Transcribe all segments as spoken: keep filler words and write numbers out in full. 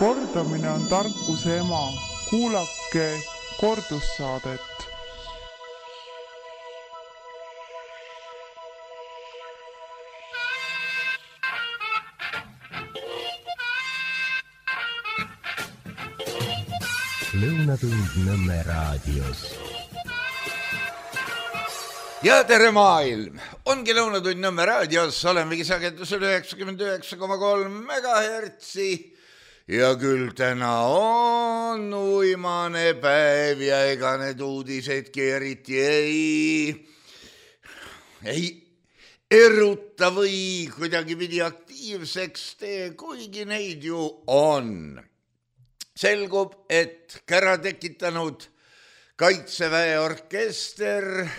Kordamine on tarkuse ema. Kuulake kordussaadet. Lõunatund Nõmme raadios. Ja tere maailm! Ongi Lõunatund Nõmme raadios, olemegi sagedusel üheksakümmend üheksa koma kolm megahertsi ja küll täna on uimane päev ja ega need uudisedki eriti ei, ei eruta või kuidagi pidi aktiivseks tee, kuigi neid ju on. Selgub, et kära tekitanud Kaitseväe orkester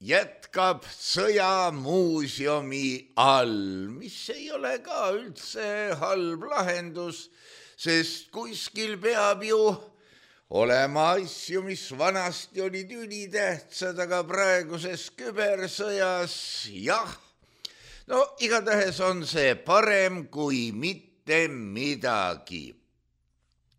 jätkab sõjamuuseumi all, mis ei ole ka üldse halb lahendus, sest kuskil peab ju olema asju, mis vanasti olid ülitähtsad, aga praeguses kübersõjas, jah, no igatahes on see parem kui mitte midagi.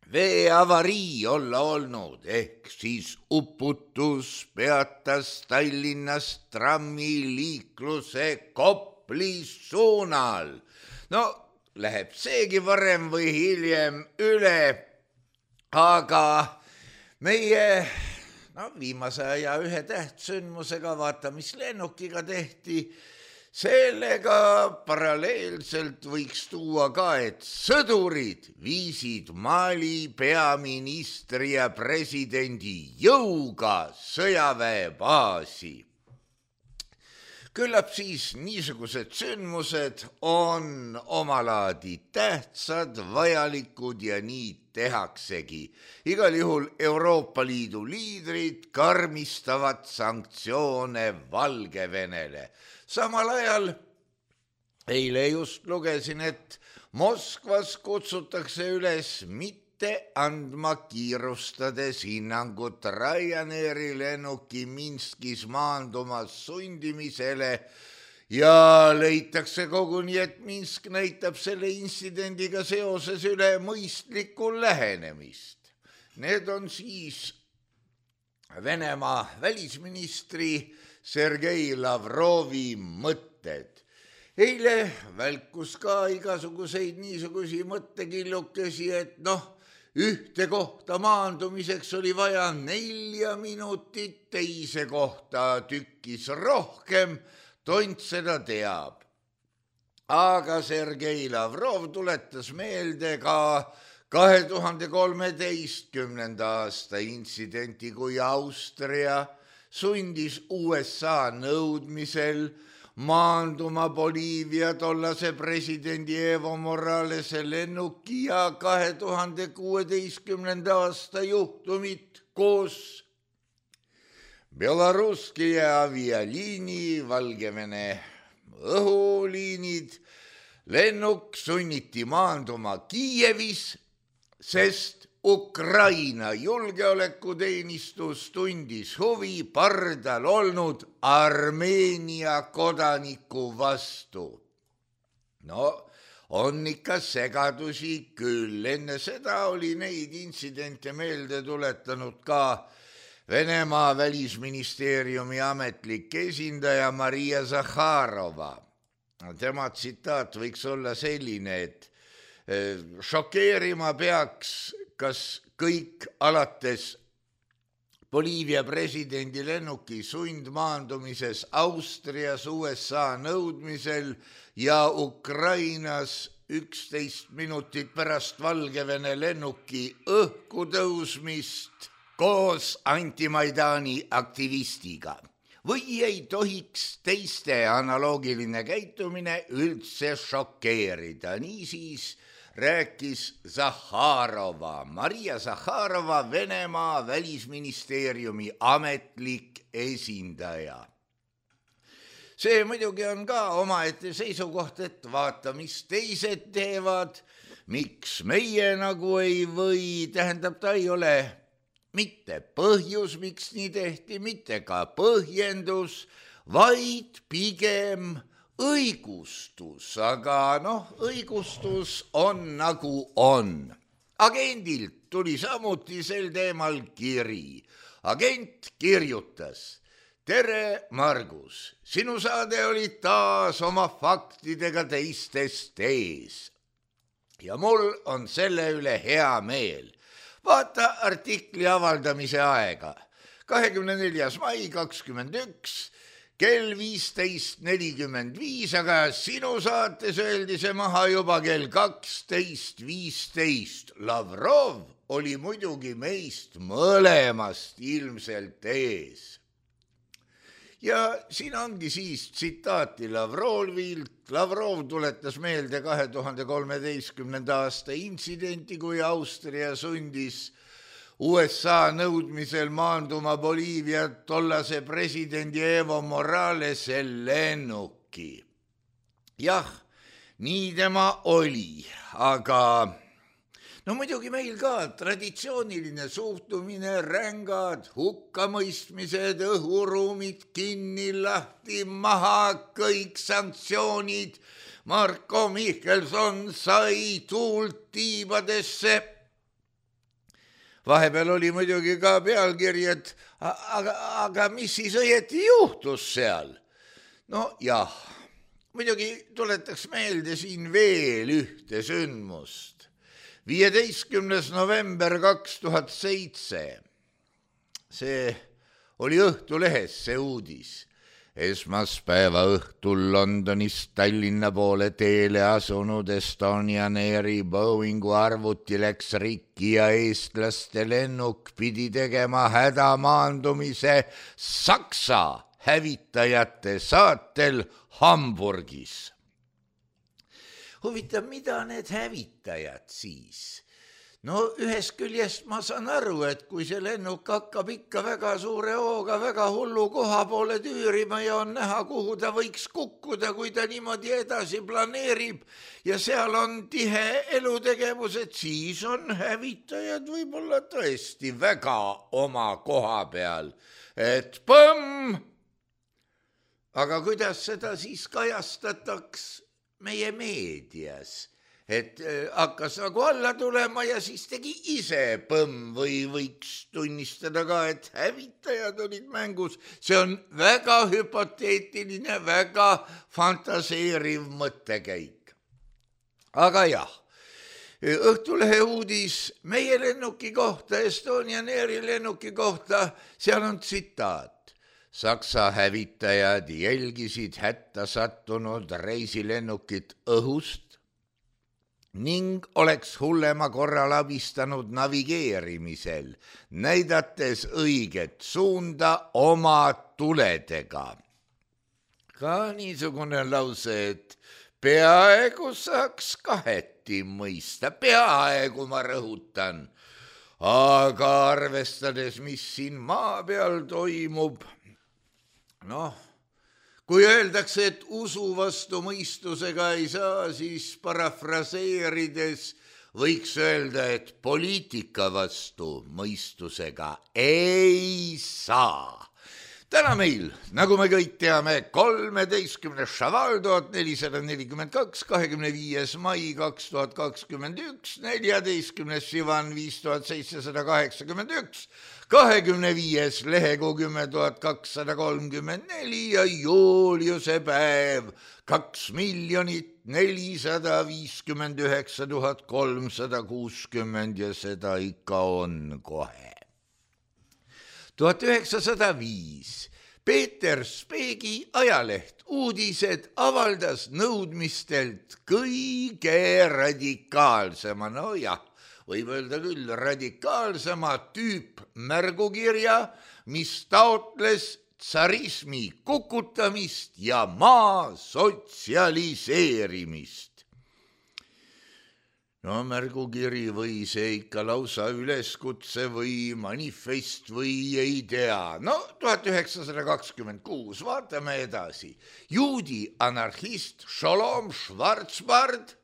Veeavarii olla olnud, ehk siis uputus peatas Tallinnas trammiliikluse Kopli suunal. No, läheb seegi varem või hiljem üle, aga meie no, viimase aja ühe tähtsündmusega, vaata, mis lennukiga tehti, sellega paralleelselt võiks tuua ka, et sõdurid viisid Mali peaministri ja presidendi jõuga sõjaväebaasi. Küllap siis niisugused sündmused on omalaadi tähtsad, vajalikud ja nii tehaksegi. Igal juhul Euroopa Liidu liidrid karmistavad sanktsioone Valgevenele. Samal ajal eile just lugesin, et Moskvas kutsutakse üles mitte andma kiirustades hinnangut Ryanairi lennuki Minskis maandumas sundimisele ja leitakse koguni, et Minsk näitab selle intsidendiga seoses üle mõistlikku lähenemist. Need on siis Venemaa välisministri Sergei Lavrovi mõtted. Eile välkus ka igasuguseid niisugusi mõttekillukesi, et noh, ühte kohta maandumiseks oli vaja nelja minutit, teise kohta tükkis rohkem, tont seda teab. Aga Sergei Lavrov tuletas meelde ka kahe tuhande kolmeteistkümnenda aasta intsidenti, kui Austria sundis U S A nõudmisel maanduma Boliivia tollase presidendi Evo Moralese lennuki ja kahe tuhande kuueteistkümnenda aasta juhtumit koos Belaruski avialiini, Valgevene õhuliinid. Lennuk sunniti maanduma Kiievis, sest Ukraina julgeolekuteenistus tundis huvi pardal olnud Armeenia kodaniku vastu. No, on ikka segadusi küll. Enne seda oli neid intsidente meelde tuletanud ka Venemaa välisministeeriumi ametlik esindaja Maria Zakharova. Tema tsitaat võiks olla selline, et šokeerima peaks kas kõik alates Boliivia presidendi lennuki sundmaandumises Austrias U S A nõudmisel ja Ukrainas üksteist minutit pärast Valgevene lennuki õhku tõusmist koos antimaidani aktivistiga. Või ei tohiks teiste analoogiline käitumine üldse šokeerida. Niisiis rääkis Zakharova, Maria Zakharova, Venemaa välisministeeriumi ametlik esindaja. See muidugi on ka omaette seisukoht, et vaata, mis teised teevad, miks meie nagu ei või, tähendab, ta ei ole mitte põhjus, miks nii tehti, mitte ka põhjendus, vaid pigem õigustus, aga noh, õigustus on nagu on. agendilt tuli samuti sel teemal kiri. Agent kirjutas: tere, Margus, sinu saade oli taas oma faktidega teistest ees. Ja mul on selle üle hea meel. Vaata artikli avaldamise aega. kahekümne neljas mai kakskümmend üks, kell viisteist nelikümmend viis, aga sinu saates öeldi see maha juba kell kaksteist viisteist. Lavrov oli muidugi meist mõlemast ilmselt ees. Ja siin ongi siis tsitaati Lavrovilt. Lavrov tuletas meelde kahe tuhande kolmeteistkümnenda aasta intsidenti, kui Austria sundis U S A nõudmisel maanduma Boliivia tollase presidendi Evo Moralese lennuki. Jah, nii tema oli, aga no muidugi meil ka traditsiooniline suhtumine, rängad hukkamõistmised, õhuruumid kinni, lahti, maha, kõik sanktsioonid. Marko Mihkelson sai tuult tiibadesse. Vahepeal oli muidugi ka pealkiri, et aga, aga mis siis õieti juhtus seal? No jah, muidugi tuletaks meelde siin veel ühte sündmust. viieteistkümnes november kaks tuhat seitse. See oli Õhtulehes see uudis. Esmaspäeva õhtul Londonist Tallinna poole teele asunud Estonian Airi Boeingu arvuti läks rikki ja eestlaste lennuk pidi tegema hädamaandumise Saksa hävitajate saatel Hamburgis. Huvitav, mida need hävitajad siis? No ühest küljest ma saan aru, et kui see lennuk hakkab ikka väga suure hooga, väga hullu koha poole tüürima ja on näha, kuhu ta võiks kukkuda, kui ta niimoodi edasi planeerib ja seal on tihe elutegevus, et siis on hävitajad võib-olla tõesti väga oma koha peal. Et põmm! Aga kuidas seda siis kajastataks meie meedias? Et hakkas nagu alla tulema ja siis tegi ise põmm või võiks tunnistada ka, et hävitajad olid mängus. See on väga hüpoteetiline, väga fantaseeriv mõttekäik. Aga jah, Õhtulehe uudis meie lennuki kohta, Estonian Airi lennuki kohta, seal on tsitaat. Saksa hävitajad jälgisid hätta sattunud reisilennukit õhust ning oleks hullema korral abistanud navigeerimisel, näidates õiget suunda oma tuledega. Ka niisugune lause, et peaaegu saaks kaheti mõista, peaaegu ma rõhutan, aga arvestades, mis siin maa peal toimub, noh, kui öeldakse, et usu vastu mõistusega ei saa, siis parafraseerides võiks öelda, et poliitika vastu mõistusega ei saa. Täna meil, nagu me kõik teame, kolmeteistkümnes Šaval tuhat nelisada nelikümmend kaks, kahekümne viies mai kaks tuhat kakskümmend üks, neljateistkümnes Sivan viis tuhat seitsesada kaheksakümmend üks, kahekümne viies lehekuu kümme tuhat kakssada kolmkümmend neli ja Juliuse päev kaks miljonit nelisada viiskümmend üheksa tuhat kolmsada kuuskümmend ja seda ikka on kohe. tuhat üheksasada viis Peeter Speegi ajaleht Uudised avaldas nõudmistelt kõige radikaalsema, no jah, võib öelda küll radikaalsema tüüp märgukirja, mis taotles tsarismi kukutamist ja maa sotsialiseerimist. No märgukiri või see ikka lausa üleskutse või manifest või ei tea. No tuhat üheksasada kakskümmend kuus, vaatame edasi. Juudi anarhist Sholom Schwarzbard,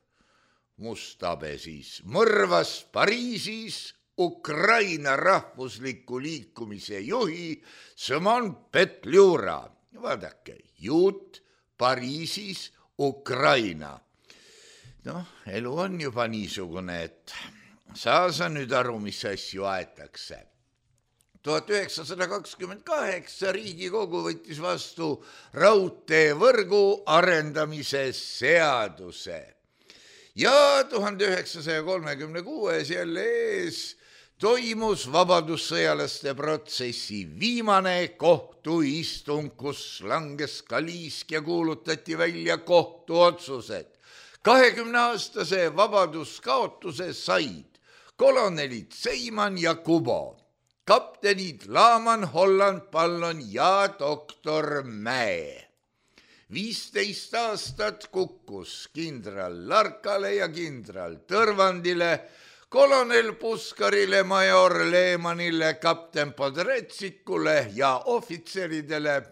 mustabe siis, mõrvas Pariisis Ukraina rahvusliku liikumise juhi Sõmon Petljura. Vaadake, juut Pariisis Ukraina. Noh, elu on juba niisugune, et saa sa nüüd aru, mis asju aetakse. tuhat üheksasada kakskümmend kaheksa Riigikogu võttis vastu raudteevõrgu arendamise seaduse ja tuhande üheksasaja kolmekümne kuues jälle ees toimus vabadussõjalaste protsessi viimane kohtuistung, kus langes kaliisk ja kuulutati välja kohtuotsused. kahekümneaastase vabaduskaotuse said kolonelid Seiman ja Kubo, kaptenid Laaman, Holland, Pallon ja doktor Mäe. viisteist aastat kukkus kindral Larkale ja kindral Tõrvandile, kolonel Puskarile, major Leemanile, kapten Podretsikule ja ohvitseridele,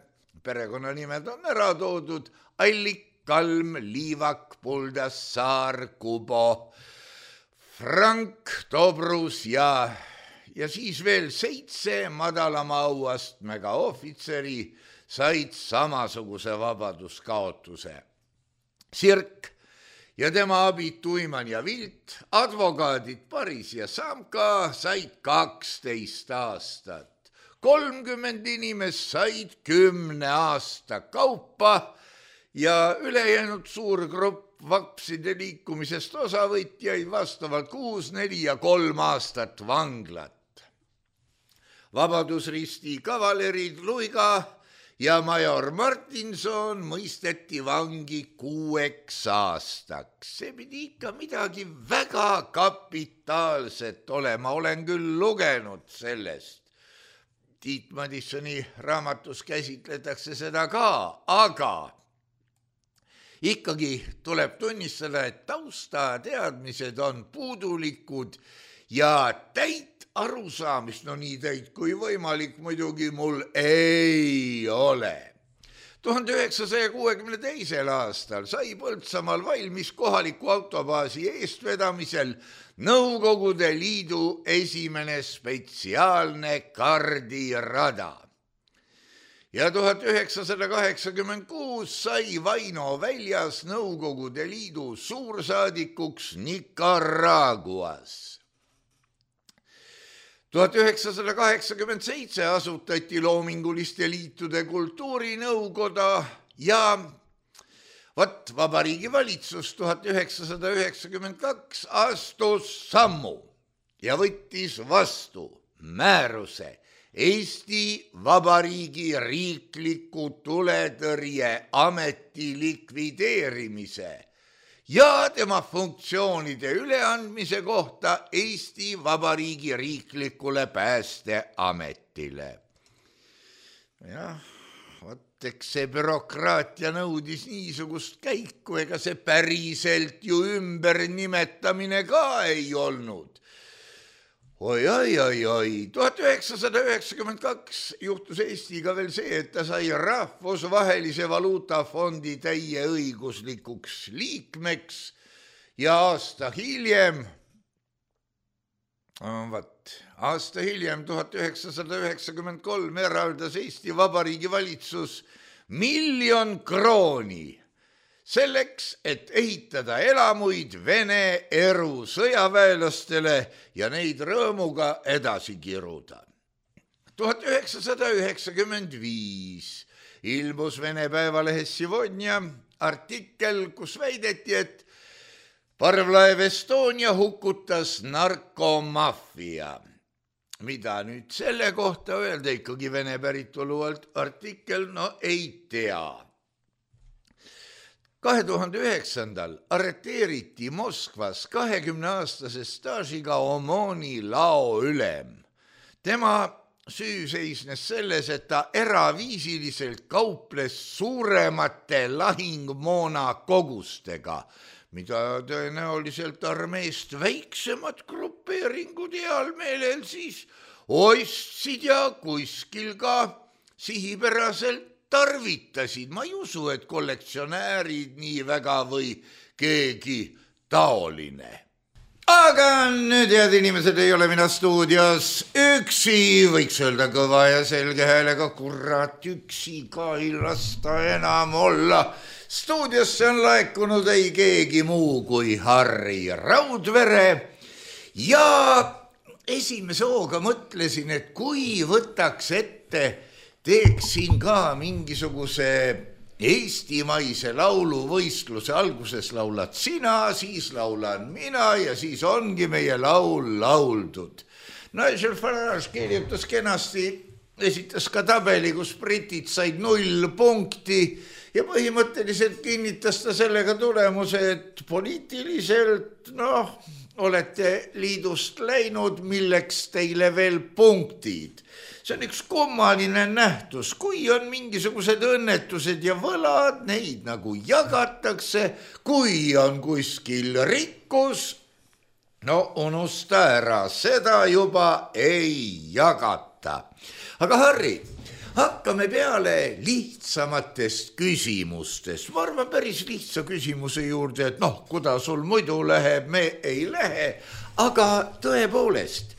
perekonnanimed on ära toodud, Allik, Kalm, Liivak, Puldas, Saar, Kubo, Frank, Dobrus ja, ja siis veel seitse madalama auastmega ohvitseri said samasuguse vabaduskaotuse. Sirk ja tema abid Tuiman ja Vilt, advokaadid Paris ja Samka said kaksteist aastat. kolmkümmend inimest said kümne aasta kaupa ja ülejäänud suur grupp vapside liikumisest osavõtjaid vastavalt kuus, neli ja kolm aastat vanglat. Vabadusristi kavalerid Luiga ja major Martinson mõisteti vangi kuueks aastaks. See pidi ikka midagi väga kapitaalset olema, olen küll lugenud sellest. Tiit Madissoni raamatus käsitletakse seda ka, aga ikkagi tuleb tunnistada, et taustateadmised on puudulikud ja täit arusaamist, no nii täit kui võimalik muidugi mul ei ole. tuhande üheksasaja kuuekümne teisel aastal sai Põltsamaal valmis kohaliku autobaasi eestvedamisel Nõukogude Liidu esimene spetsiaalne kardirada. Ja tuhat üheksasada kaheksakümmend kuus sai Vaino väljas Nõukogude Liidu suursaadikuks Nicaraguas. tuhat üheksasada kaheksakümmend seitse asutati loominguliste liitude kultuurinõukoda ja vat Vabariigi Valitsus tuhat üheksasada üheksakümmend kaks astus sammu ja võttis vastu määruse Eesti Vabariigi riikliku tuletõrje ameti likvideerimise ja tema funktsioonide üleandmise kohta Eesti Vabariigi riiklikule päästeametile. Jah, vot eks see bürokraatia nõudis niisugust käiku, ega see päriselt ju ümber nimetamine ka ei olnud. Oi, oi, oi, oi, tuhat üheksasada üheksakümmend kaks juhtus Eestiga veel see, et ta sai rahvusvahelise valuutafondi täieõiguslikuks liikmeks ja aasta hiljem, vat, aasta hiljem, tuhat üheksasada üheksakümmend kolm eraldas Eesti Vabariigi Valitsus miljon krooni selleks, et ehitada elamuid Vene eru sõjaväelastele ja neid rõõmuga edasi kiruda. tuhat üheksasada üheksakümmend viis ilmus Vene päevalehes Sivodnja artikkel, kus väideti, et parvlaev Estonia hukutas narkomaffia. Mida nüüd selle kohta öelda, ikkagi Vene päritolu artikkel, no ei tea. kahe tuhande üheksandal arreteeriti Moskvas kahekümneaastase staažiga Omoni laoülem. Tema süü seisnes selles, et ta eraviisiliselt kauples suuremate lahingmoona kogustega, mida tõenäoliselt armeest väiksemad grupeeringud heal meelel siis ostsid ja kuskil ka sihipäraselt tarvitasid. Ma ei usu, et kollektsionäärid nii väga või keegi taoline. Aga nüüd, head inimesed, ei ole mina stuudios üksi, võiks öelda kõva ja selge häälega, kurat, üksi ka ei lasta enam olla. Stuudiosse on laekunud ei keegi muu kui Harri Raudvere ja esimese hooga mõtlesin, et kui võtaks ette, teeksin ka mingisuguse eestimaise lauluvõistluse, alguses laulad sina, siis laulan mina ja siis ongi meie laul lauldud. Nigel Farage kirjutas kenasti, esitas ka tabeli, kus britid said null punkti ja põhimõtteliselt kinnitas ta sellega tulemuse, et poliitiliselt, noh, olete liidust läinud, milleks teile veel punktid. See on üks kummaline nähtus, kui on mingisugused õnnetused ja võlad, neid nagu jagatakse, kui on kuskil rikkus, no unusta ära, seda juba ei jagata. Aga Harri, hakkame peale lihtsamatest küsimustest. Ma arvan päris lihtsa küsimuse juurde, et noh, kuidas sul muidu läheb, me ei lähe, aga tõepoolest,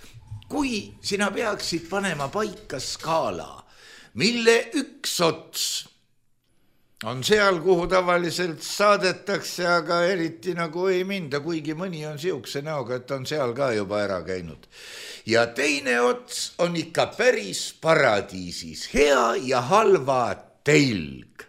kui sina peaksid panema paika skaala, mille üks ots on seal, kuhu tavaliselt saadetakse, aga eriti nagu ei minda, kuigi mõni on siukse näoga, et on seal ka juba ära käinud. Ja teine ots on ikka päris paradiisis, hea ja halva telg.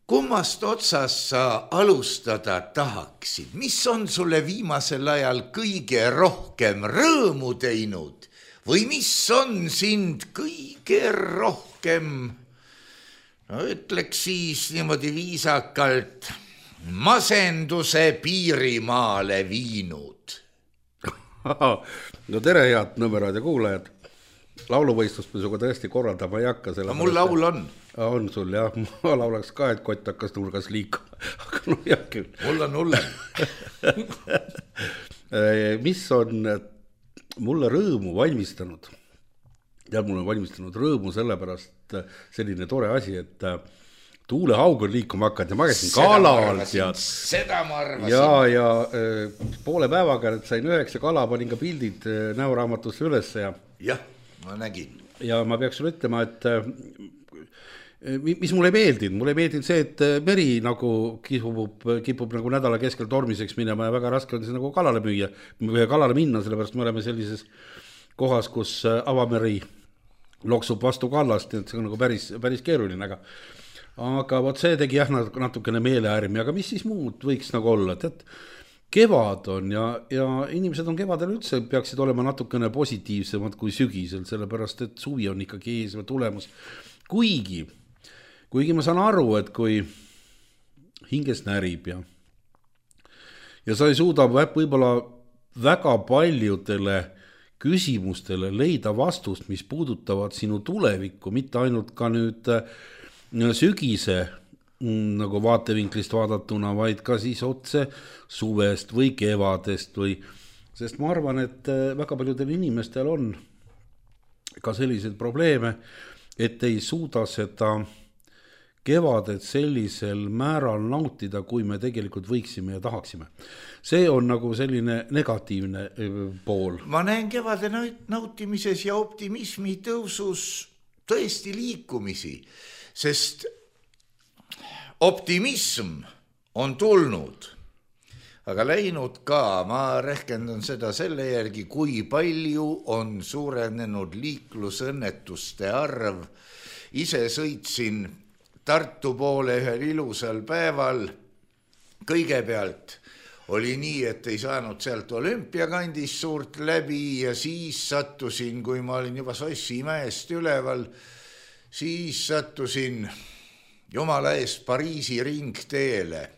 Kummast otsas sa alustada tahaksid? Mis on sulle viimasel ajal kõige rohkem rõõmu teinud? Või mis on sind kõige rohkem, no ütleks siis niimoodi viisakalt, masenduse piirimaale viinud? No tere, head Nõmmeraadio kuulajad. Lauluvõistlust me suga tõesti korraldama ei hakka. No mul laul on. On sul, jah. Ma laulaks ka, et kott hakkas nurgas liikuma. Aga no jah küll. Mul on hulle. Mis on mulle rõõmu valmistanud? Ja mul on valmistanud rõõmu sellepärast selline tore asi, et tuulehaug on liikuma hakanud ja ma käisin kalal. Seda ma arvasin. Ja, ja poole päevaga sain üheksa kala, panin ka pildid näoraamatusse üles. Ja, jah, ma nägin. Ja ma peaks sulle ütlema, et mis mulle ei meeldinud, mulle ei meeldinud see, et meri nagu kipub, kipub nagu nädala keskel tormiseks minema ja väga raske on see nagu kalale müüa, kalale minna, sellepärast me oleme sellises kohas, kus avameri loksub vastu kallast, et see on nagu päris, päris keeruline, aga aga vot see tegi jah natukene meeleäärmi, aga mis siis muud võiks nagu olla, et, et kevad on ja, ja inimesed on kevadel üldse peaksid olema natukene positiivsemad kui sügisel, sellepärast et suvi on ikkagi ees või tulemus, kuigi Kuigi ma saan aru, et kui hinges närib ja, ja sa ei suuda võib-olla väga paljudele küsimustele leida vastust, mis puudutavad sinu tulevikku, mitte ainult ka nüüd sügise nagu vaatevinklist vaadatuna, vaid ka siis otse suvest või kevadest või, sest ma arvan, et väga paljudel inimestel on ka selliseid probleeme, et ei suuda seda kevadet sellisel määral nautida, kui me tegelikult võiksime ja tahaksime. See on nagu selline negatiivne pool. Ma näen kevade nautimises ja optimismi tõusus tõesti liikumisi, sest optimism on tulnud, aga läinud ka. Ma rehkendan seda selle järgi, kui palju on suurenenud liiklusõnnetuste arv. Ise sõitsin Tartu poole ühel ilusal päeval. Kõigepealt oli nii, et ei saanud sealt olümpiakandist suurt läbi ja siis sattusin, kui ma olin juba Sossimäest üleval, siis sattusin jumala eest Pariisi ringteele.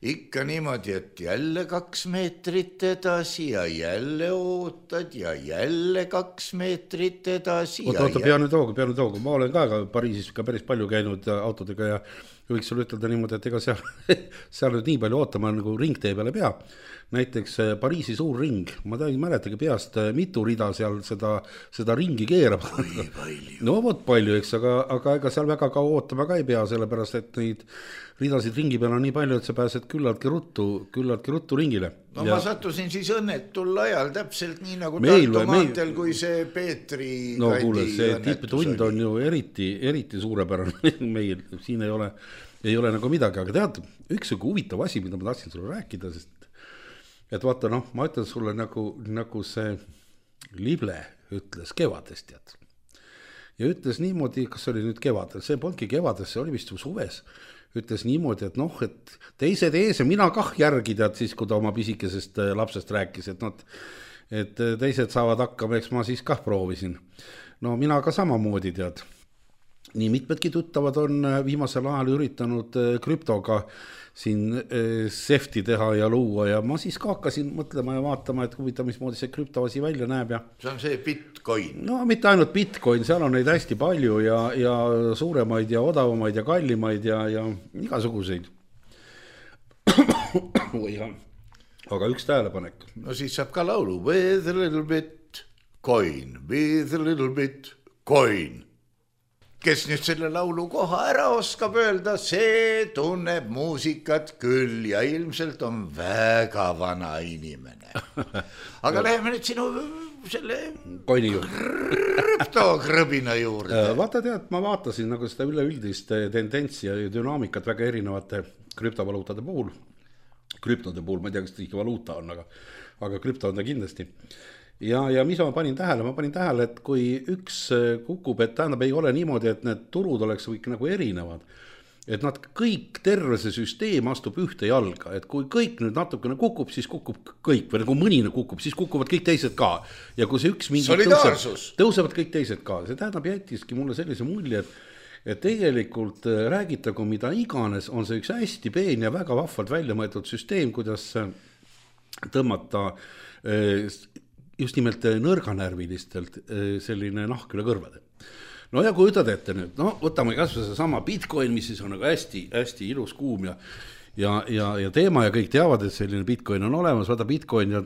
Ikka niimoodi, et jälle kaks meetrit edasi ja jälle ootad ja jälle kaks meetrit edasi. Oota, oota, peanu toogu, peanu toogu. Ma olen ka Pariisis ka päris palju käinud autodega ja võiks sulle ütelda niimoodi, et ega seal, seal nüüd nii palju ootama nagu ringtee peale pea. Näiteks Pariisi suur ring, ma ei mäletagi peast, mitu rida seal seda, seda ringi keerab. No vot palju, eks, aga, aga ega seal väga kaua ootama ka ei pea, sellepärast, et neid ridasid ringi peal on nii palju, et sa pääsed küllaltki ruttu, küllaltki ruttu ringile. No ja ma sattusin siis õnnetul ajal täpselt nii nagu meil, Tartu maantel, meil... kui see Peetri no kuule, see tipptund on ju eriti, eriti suurepärane meil, siin ei ole, ei ole nagu midagi, aga tead, üks huvitav asi, mida ma tahtsin sulle rääkida, sest et vaata, noh, ma ütlen sulle nagu, nagu see Lible ütles kevadest, tead. Ja ütles niimoodi, kas oli nüüd kevadel, see polnudki kevades, see oli vist suves, ütles niimoodi, et noh, et teised ees ja mina kah järgi tead siis, kui ta oma pisikesest lapsest rääkis, et, not, et teised saavad hakkama, eks ma siis kah proovisin. No mina ka samamoodi tead. Nii mitmedki tuttavad on viimasel ajal üritanud krüptoga siin sefti teha ja luua ja ma siis ka hakkasin mõtlema ja vaatama, et huvitav, mismoodi see krüptoasi välja näeb. Ja see on see Bitcoin. No mitte ainult Bitcoin, seal on neid hästi palju ja, ja suuremaid ja odavamaid ja kallimaid ja, ja igasuguseid. Aga üks tähelepanek. No siis saab ka laulu with a little bit coin, with a little bit coin. Kes nüüd selle laulu koha ära oskab öelda, see tunneb muusikat küll ja ilmselt on väga vana inimene. Aga läheme nüüd sinu selle koini juurde. Krüptokrõbina juurde. Vaata tead, ma vaatasin nagu seda üleüldist tendentsi ja dünaamikat väga erinevate krüptovaluutade puhul. Krüptode puhul, ma ei tea, kas ikka valuuta on, aga, aga krüpto on ta kindlasti. Ja, ja mis ma panin tähele? Ma panin tähele, et kui üks kukub, et tähendab ei ole niimoodi, et need turud oleks kõik nagu erinevad. Et nad kõik, terve see süsteem astub ühte jalga. Et kui kõik nüüd natukene kukub, siis kukub kõik. Või nagu mõnine kukub, siis kukuvad kõik teised ka. Ja kui see üks mingi solidaarsus. Tõuseb, tõusevad kõik teised ka. See tähendab jättiski mulle sellise mulje, et, et tegelikult räägitagu mida iganes, on see üks hästi peen ja väga vahvalt välja mõeldud süsteem, kuidas tõmmata just nimelt nõrganärvilistelt selline nahk üle kõrvade. No ja kui ütled ette nüüd, no võtame kas või see sama Bitcoin, mis siis on nagu hästi, hästi ilus kuum ja, ja, ja, ja teema ja kõik teavad, et selline Bitcoin on olemas, vaata Bitcoin ja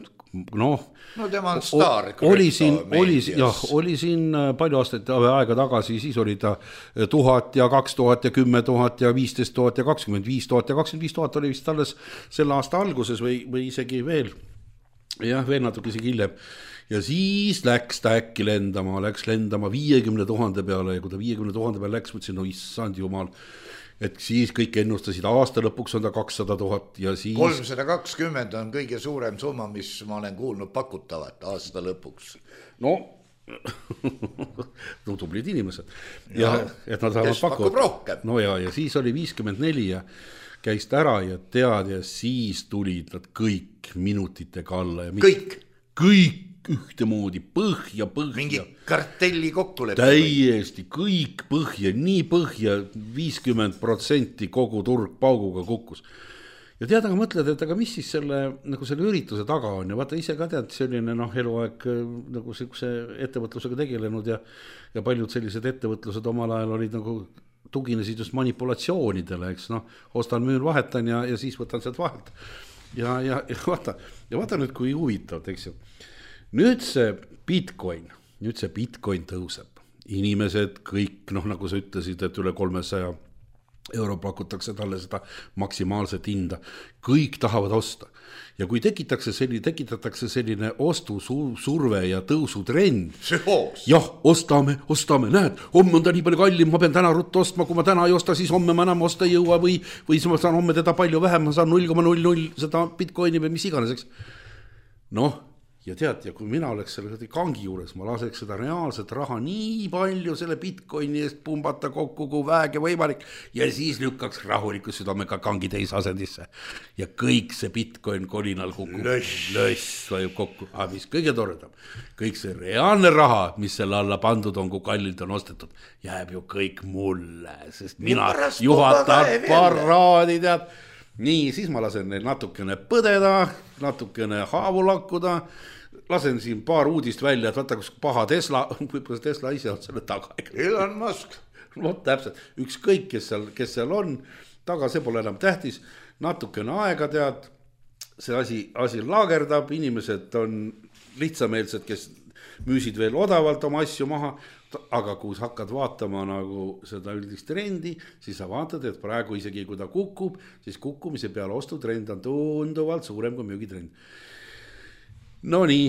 noh, no tema on staar. Oli siin, oli, jah, oli siin palju aastat aega tagasi, siis oli ta tuhat ja kaks tuhat ja kümme tuhat ja viisteist tuhat ja kakskümmend viis tuhat ja kakskümmend viis tuhat oli vist alles selle aasta alguses või, või isegi veel. Jah, veel natuke isegi hiljem. Ja siis läks ta äkki lendama, läks lendama viiekümne tuhande peale ja kui ta viiekümne tuhande peale läks, mõtlesin, no issand jumal, et siis kõik ennustasid, aasta lõpuks on ta kakssada tuhat ja siis... kolmsada kakskümmend on kõige suurem summa, mis ma olen kuulnud pakutavat aasta lõpuks. No, no tublid inimesed. Ja, ja et nad kes pakub rohkem. No ja, ja siis oli viiskümmend neli ja käis ta ära ja tead ja siis tulid nad kõik minutitega alla. Ja kõik? Kõik ühtemoodi, põhja, põhja. Mingi kartelli kokkulepe. Täiesti, kõik põhja, nii põhja, viiskümmend protsenti kogu turg pauguga kukkus. Ja tead, aga mõtled, et aga mis siis selle, nagu selle ürituse taga on ja vaata ise ka tead selline noh, eluaeg nagu see ettevõtlusega tegelenud ja, ja paljud sellised ettevõtlused omal ajal olid nagu tuginesid just manipulatsioonidele, eks noh, ostan, müün, vahetan ja, ja siis võtan sealt vahelt. Ja, ja, ja vaata, ja vaata nüüd, kui huvitav, eks ju. Nüüd see Bitcoin, nüüd see Bitcoin tõuseb. Inimesed kõik, noh, nagu sa ütlesid, et üle kolmesaja euro pakutakse talle seda maksimaalset hinda. Kõik tahavad osta. Ja kui tekitakse selline, tekitatakse selline ostusurve ja tõusutrend. Jah, ostame, ostame, näed, homme on ta nii palju kallim, ma pean täna ruttu ostma, kui ma täna ei osta, siis homme ma enam osta ei jõua või, või ma saan homme teda palju vähem, ma saan null koma null null seda Bitcoini või mis iganes, eks. Noh, ja tead, ja kui mina oleks selle kangi juures, ma laseks seda reaalset raha nii palju selle Bitcoini eest pumbata kokku, kui vähegi võimalik ja siis lükkaks rahulikult südamega kangi teise asendisse. Ja kõik see Bitcoin kolinal kukub. Löss. Löss vajub kokku. Aga mis kõige toredam, kõik see reaalne raha, mis selle alla pandud on, kui kallilt on ostetud, jääb ju kõik mulle, sest mina juhatan paraadi, tead. Nii, siis ma lasen neil natukene põdeda, natukene haavu lakkuda, lasen siin paar uudist välja, et vaata, kus paha Tesla, võib-olla Tesla ise on selle taga. Elon Musk. No täpselt, ükskõik, kes seal, kes seal on, taga see pole enam tähtis, natukene aega tead, see asi, asi laagerdab, inimesed on lihtsameelsed, kes müüsid veel odavalt oma asju maha, aga kui sa hakkad vaatama nagu seda üldist trendi, siis sa vaatad, et praegu isegi kui ta kukub, siis kukkumise peale ostutrend on tunduvalt suurem kui müügitrend. No nii,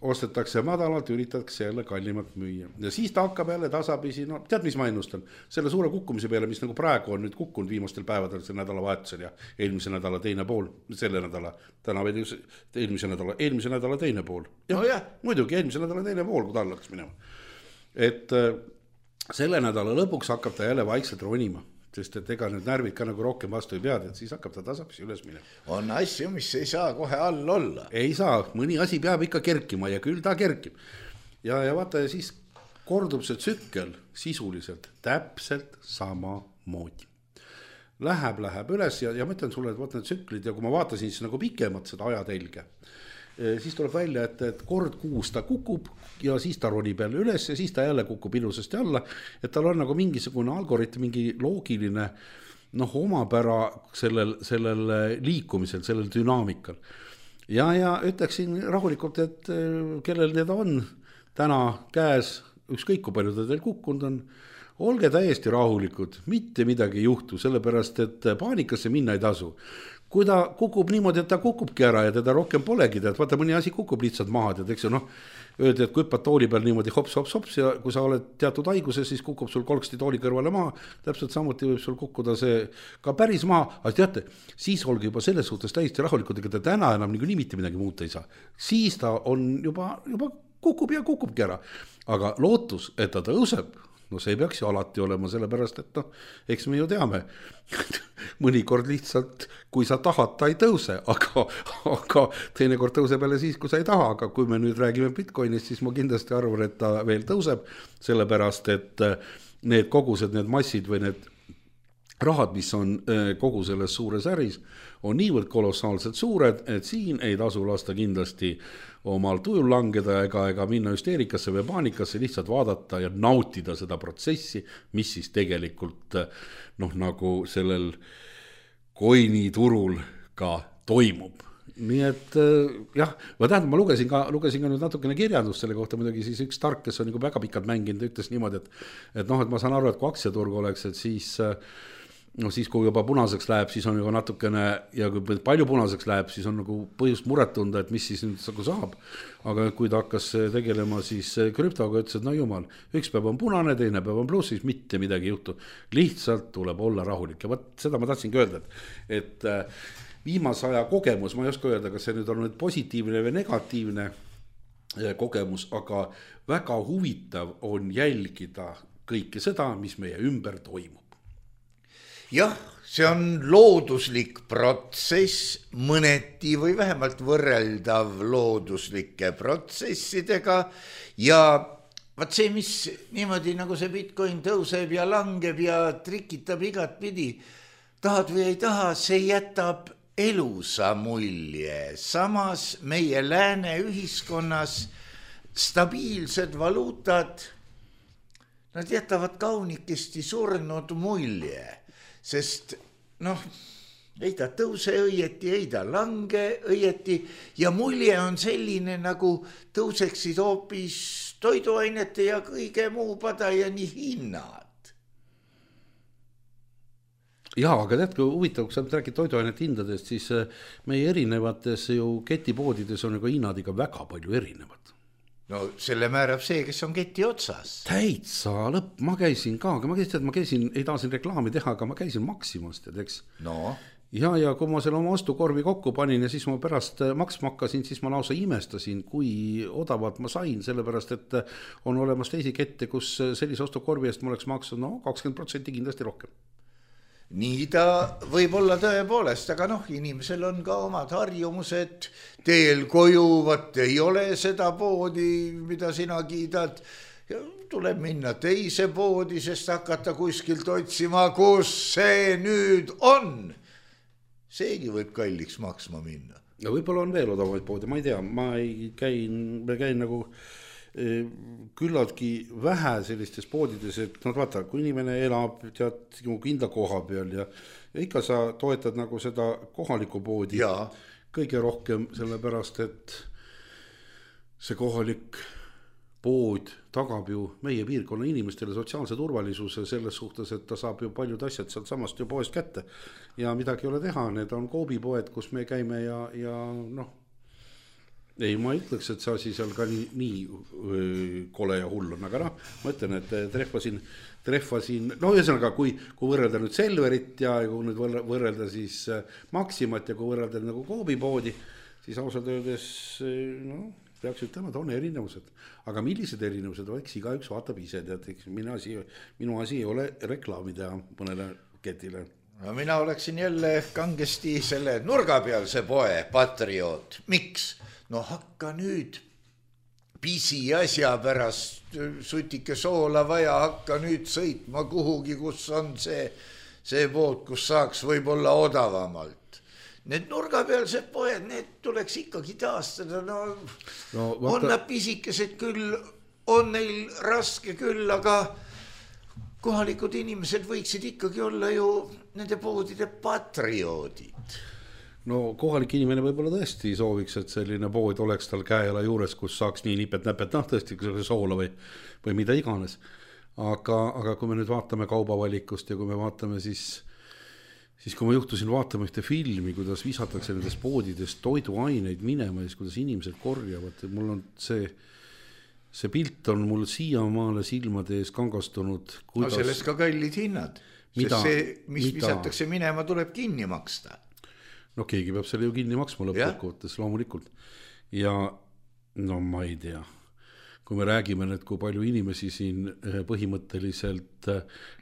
ostetakse madalalt, üritatakse jälle kallimalt müüa. Ja siis ta hakkab jälle tasapisi, no tead, mis ma ennustan? Selle suure kukkumise peale, mis nagu praegu on nüüd kukkunud viimastel päevadel, see nädala vahetusel ja eelmise nädala teine pool, selle nädala, täna veel eelmise nädala, eelmise nädala teine pool. Ja, no jah. Muidugi, eelmise nädala teine pool, kui ta allaks minema. Et selle nädala lõpuks hakkab ta jälle vaikselt ronima. Sest et ega need närvid ka nagu rohkem vastu ei pead, et siis hakkab ta tasapisi üles minema. On asju, mis ei saa kohe all olla. Ei saa, mõni asi peab ikka kerkima ja küll ta kerkib. Ja, ja vaata, ja siis kordub see tsükkel sisuliselt täpselt sama moodi. Läheb, läheb üles ja, ja ma ütlen sulle, et vaata need tsüklid ja kui ma vaatasin siis nagu pikemat seda ajatelge, siis tuleb välja, et, et kord kuus ta kukub ja siis ta ronib jälle üles ja siis ta jälle kukub ilusasti alla, et tal on nagu mingisugune algoritm, mingi loogiline noh, omapära sellel, sellel liikumisel, sellel dünaamikal. Ja, ja ütleksin rahulikult, et kellel need on täna käes, ükskõik kui palju ta teil kukkunud on, olge täiesti rahulikud, mitte midagi ei juhtu, sellepärast et paanikasse minna ei tasu. Kui ta kukub niimoodi, et ta kukubki ära ja teda rohkem polegi, tead, vaata mõni asi kukub lihtsalt maha, tead, eks ju, noh, öeldi, et kui hüppad tooli peal niimoodi hops, hops, hops ja kui sa oled teatud haiguses, siis kukub sul kolksti tooli kõrvale maha, täpselt samuti võib sul kukkuda see ka päris maha, aga teate, siis olge juba selles suhtes täiesti rahulikud, ega ta täna enam nii mitte midagi muuta ei saa. Siis ta on juba, juba kukub ja kukubki ära, aga lootus, et ta tõuseb, no see ei peaks ju alati olema, sellepärast, et noh, eks me ju teame, mõnikord lihtsalt, kui sa tahad, ta ei tõuse, aga, aga teinekord tõuseb jälle siis, kui sa ei taha, aga kui me nüüd räägime Bitcoinist, siis ma kindlasti arvan, et ta veel tõuseb, sellepärast, et need kogused, need massid või need rahad, mis on kogu selles suures äris, on niivõrd kolossaalselt suured, et siin ei tasu lasta kindlasti omal tujul langeda ega, ega minna hüsteerikasse või paanikasse, lihtsalt vaadata ja nautida seda protsessi, mis siis tegelikult noh, nagu sellel coini turul ka toimub. Nii et jah, ma tähendab, ma lugesin ka, lugesin ka nüüd natukene kirjandust selle kohta, muidugi siis üks tark, kes on nagu väga pikalt mänginud, ütles niimoodi, et, et noh, et ma saan aru, et kui aktsiaturg oleks, et siis no siis, kui juba punaseks läheb, siis on juba natukene, ja kui palju punaseks läheb, siis on nagu põhjust muret tunda, et mis siis nüüd nagu saab. Aga kui ta hakkas tegelema siis krüptoga, ütles, et no jumal, üks päev on punane, teine päev on pluss, siis mitte midagi juhtu. Lihtsalt tuleb olla rahulik. Ja võt, seda ma tahtsingi öelda, et, et viimase aja kogemus, ma ei oska öelda, kas see nüüd on nüüd positiivne või negatiivne kogemus, aga väga huvitav on jälgida kõike seda, mis meie ümber toimub. Jah, see on looduslik protsess, mõneti või vähemalt võrreldav looduslike protsessidega ja vaat see, mis niimoodi nagu see Bitcoin tõuseb ja langeb ja trikitab igat pidi, tahad või ei taha, see jätab elusa mulje. Samas meie lääne ühiskonnas stabiilsed valuutad, nad jätavad kaunikesti surnud mulje. Sest noh, ei ta tõuse õieti, ei ta lange õieti ja mulje on selline, nagu tõuseksid hoopis toiduainete ja kõige muu padajani hinnad. Jaa, aga tead, kui huvitav, kui sa räägid toiduainete hindadest, siis meie erinevates ju ketipoodides on ju hinnad ikka väga palju erinevad. No selle määrab see, kes on keti otsas. Täitsa lõpp, ma käisin ka, aga ma käisin, ma käisin, ei tahasin reklaami teha, aga ma käisin Maximas, tead, eks? No. Ja, ja kui ma selle oma ostukorvi kokku panin ja siis ma pärast maksma hakkasin, siis ma lausa imestasin, kui odavalt ma sain, sellepärast, et on olemas teisi kette, kus sellise ostukorvi eest ma oleks maksnud no, kakskümmend protsenti kindlasti rohkem. Nii ta võib olla tõepoolest, aga noh, inimesel on ka omad harjumused, teel koju, vaat ei ole seda poodi, mida sina kiidad, ja tuleb minna teise poodi, sest hakata kuskilt otsima, kus see nüüd on. Seegi võib kalliks maksma minna. Ja võib-olla on veel odavaid poodi, ma ei tea, ma ei käin, ma käin nagu küllaltki vähe sellistes poodides, et nad vaata, kui inimene elab tead kindla koha peal ja, ja ikka sa toetad nagu seda kohalikku poodi ja. Kõige rohkem sellepärast, et see kohalik pood tagab ju meie piirkonna inimestele sotsiaalse turvalisuse selles suhtes, et ta saab ju paljud asjad sealt samast ju poest kätte ja midagi ei ole teha, need on koobipoed, kus me käime ja, ja noh, ei, ma ütleks, et see asi seal ka nii, nii öö, kole ja hull on, aga noh, ma ütlen, et trehvasin, trehvasin, no ühesõnaga, kui, kui võrrelda nüüd Selverit ja kui nüüd võrrelda siis Maximat ja kui võrrelda nagu Coopi-poodi, siis ausalt öeldes, no, peaks ütlema, et on erinevused. Aga millised erinevused, eks igaüks vaatab ise, tead, minu asi, minu asi ei ole reklaami teha mõnele ketile. No mina oleksin jälle kangesti selle nurgapealse poe patrioot. Miks? No hakka nüüd pisi asja pärast sutike soola vaja, hakka nüüd sõitma kuhugi, kus on see, see pood, kus saaks võib-olla odavamalt. Need nurgapealsed poed, need tuleks ikkagi taastada. No, no, vaata... on nad pisikesed küll, on neil raske küll, aga kohalikud inimesed võiksid ikkagi olla ju nende poodide patrioodid. No kohalik inimene võib-olla tõesti sooviks, et selline pood oleks tal käela juures, kus saaks nii nipet-näpet, noh tõesti soola või, või mida iganes. Aga, aga kui me nüüd vaatame kaubavalikust ja kui me vaatame siis, siis kui ma juhtusin vaatama ühte filmi, kuidas visatakse nendes poodides toiduaineid minema ja siis kuidas inimesed korjavad, mul on see, see pilt on mul siiamaale silmade ees kangastunud. Kuidas... No sellest ka kallid hinnad, mida, sest see, mis mida... visatakse minema, tuleb kinni maksta. No keegi peab selle ju kinni maksma lõppkokkuvõttes loomulikult. Ja no ma ei tea, kui me räägime nüüd, kui palju inimesi siin põhimõtteliselt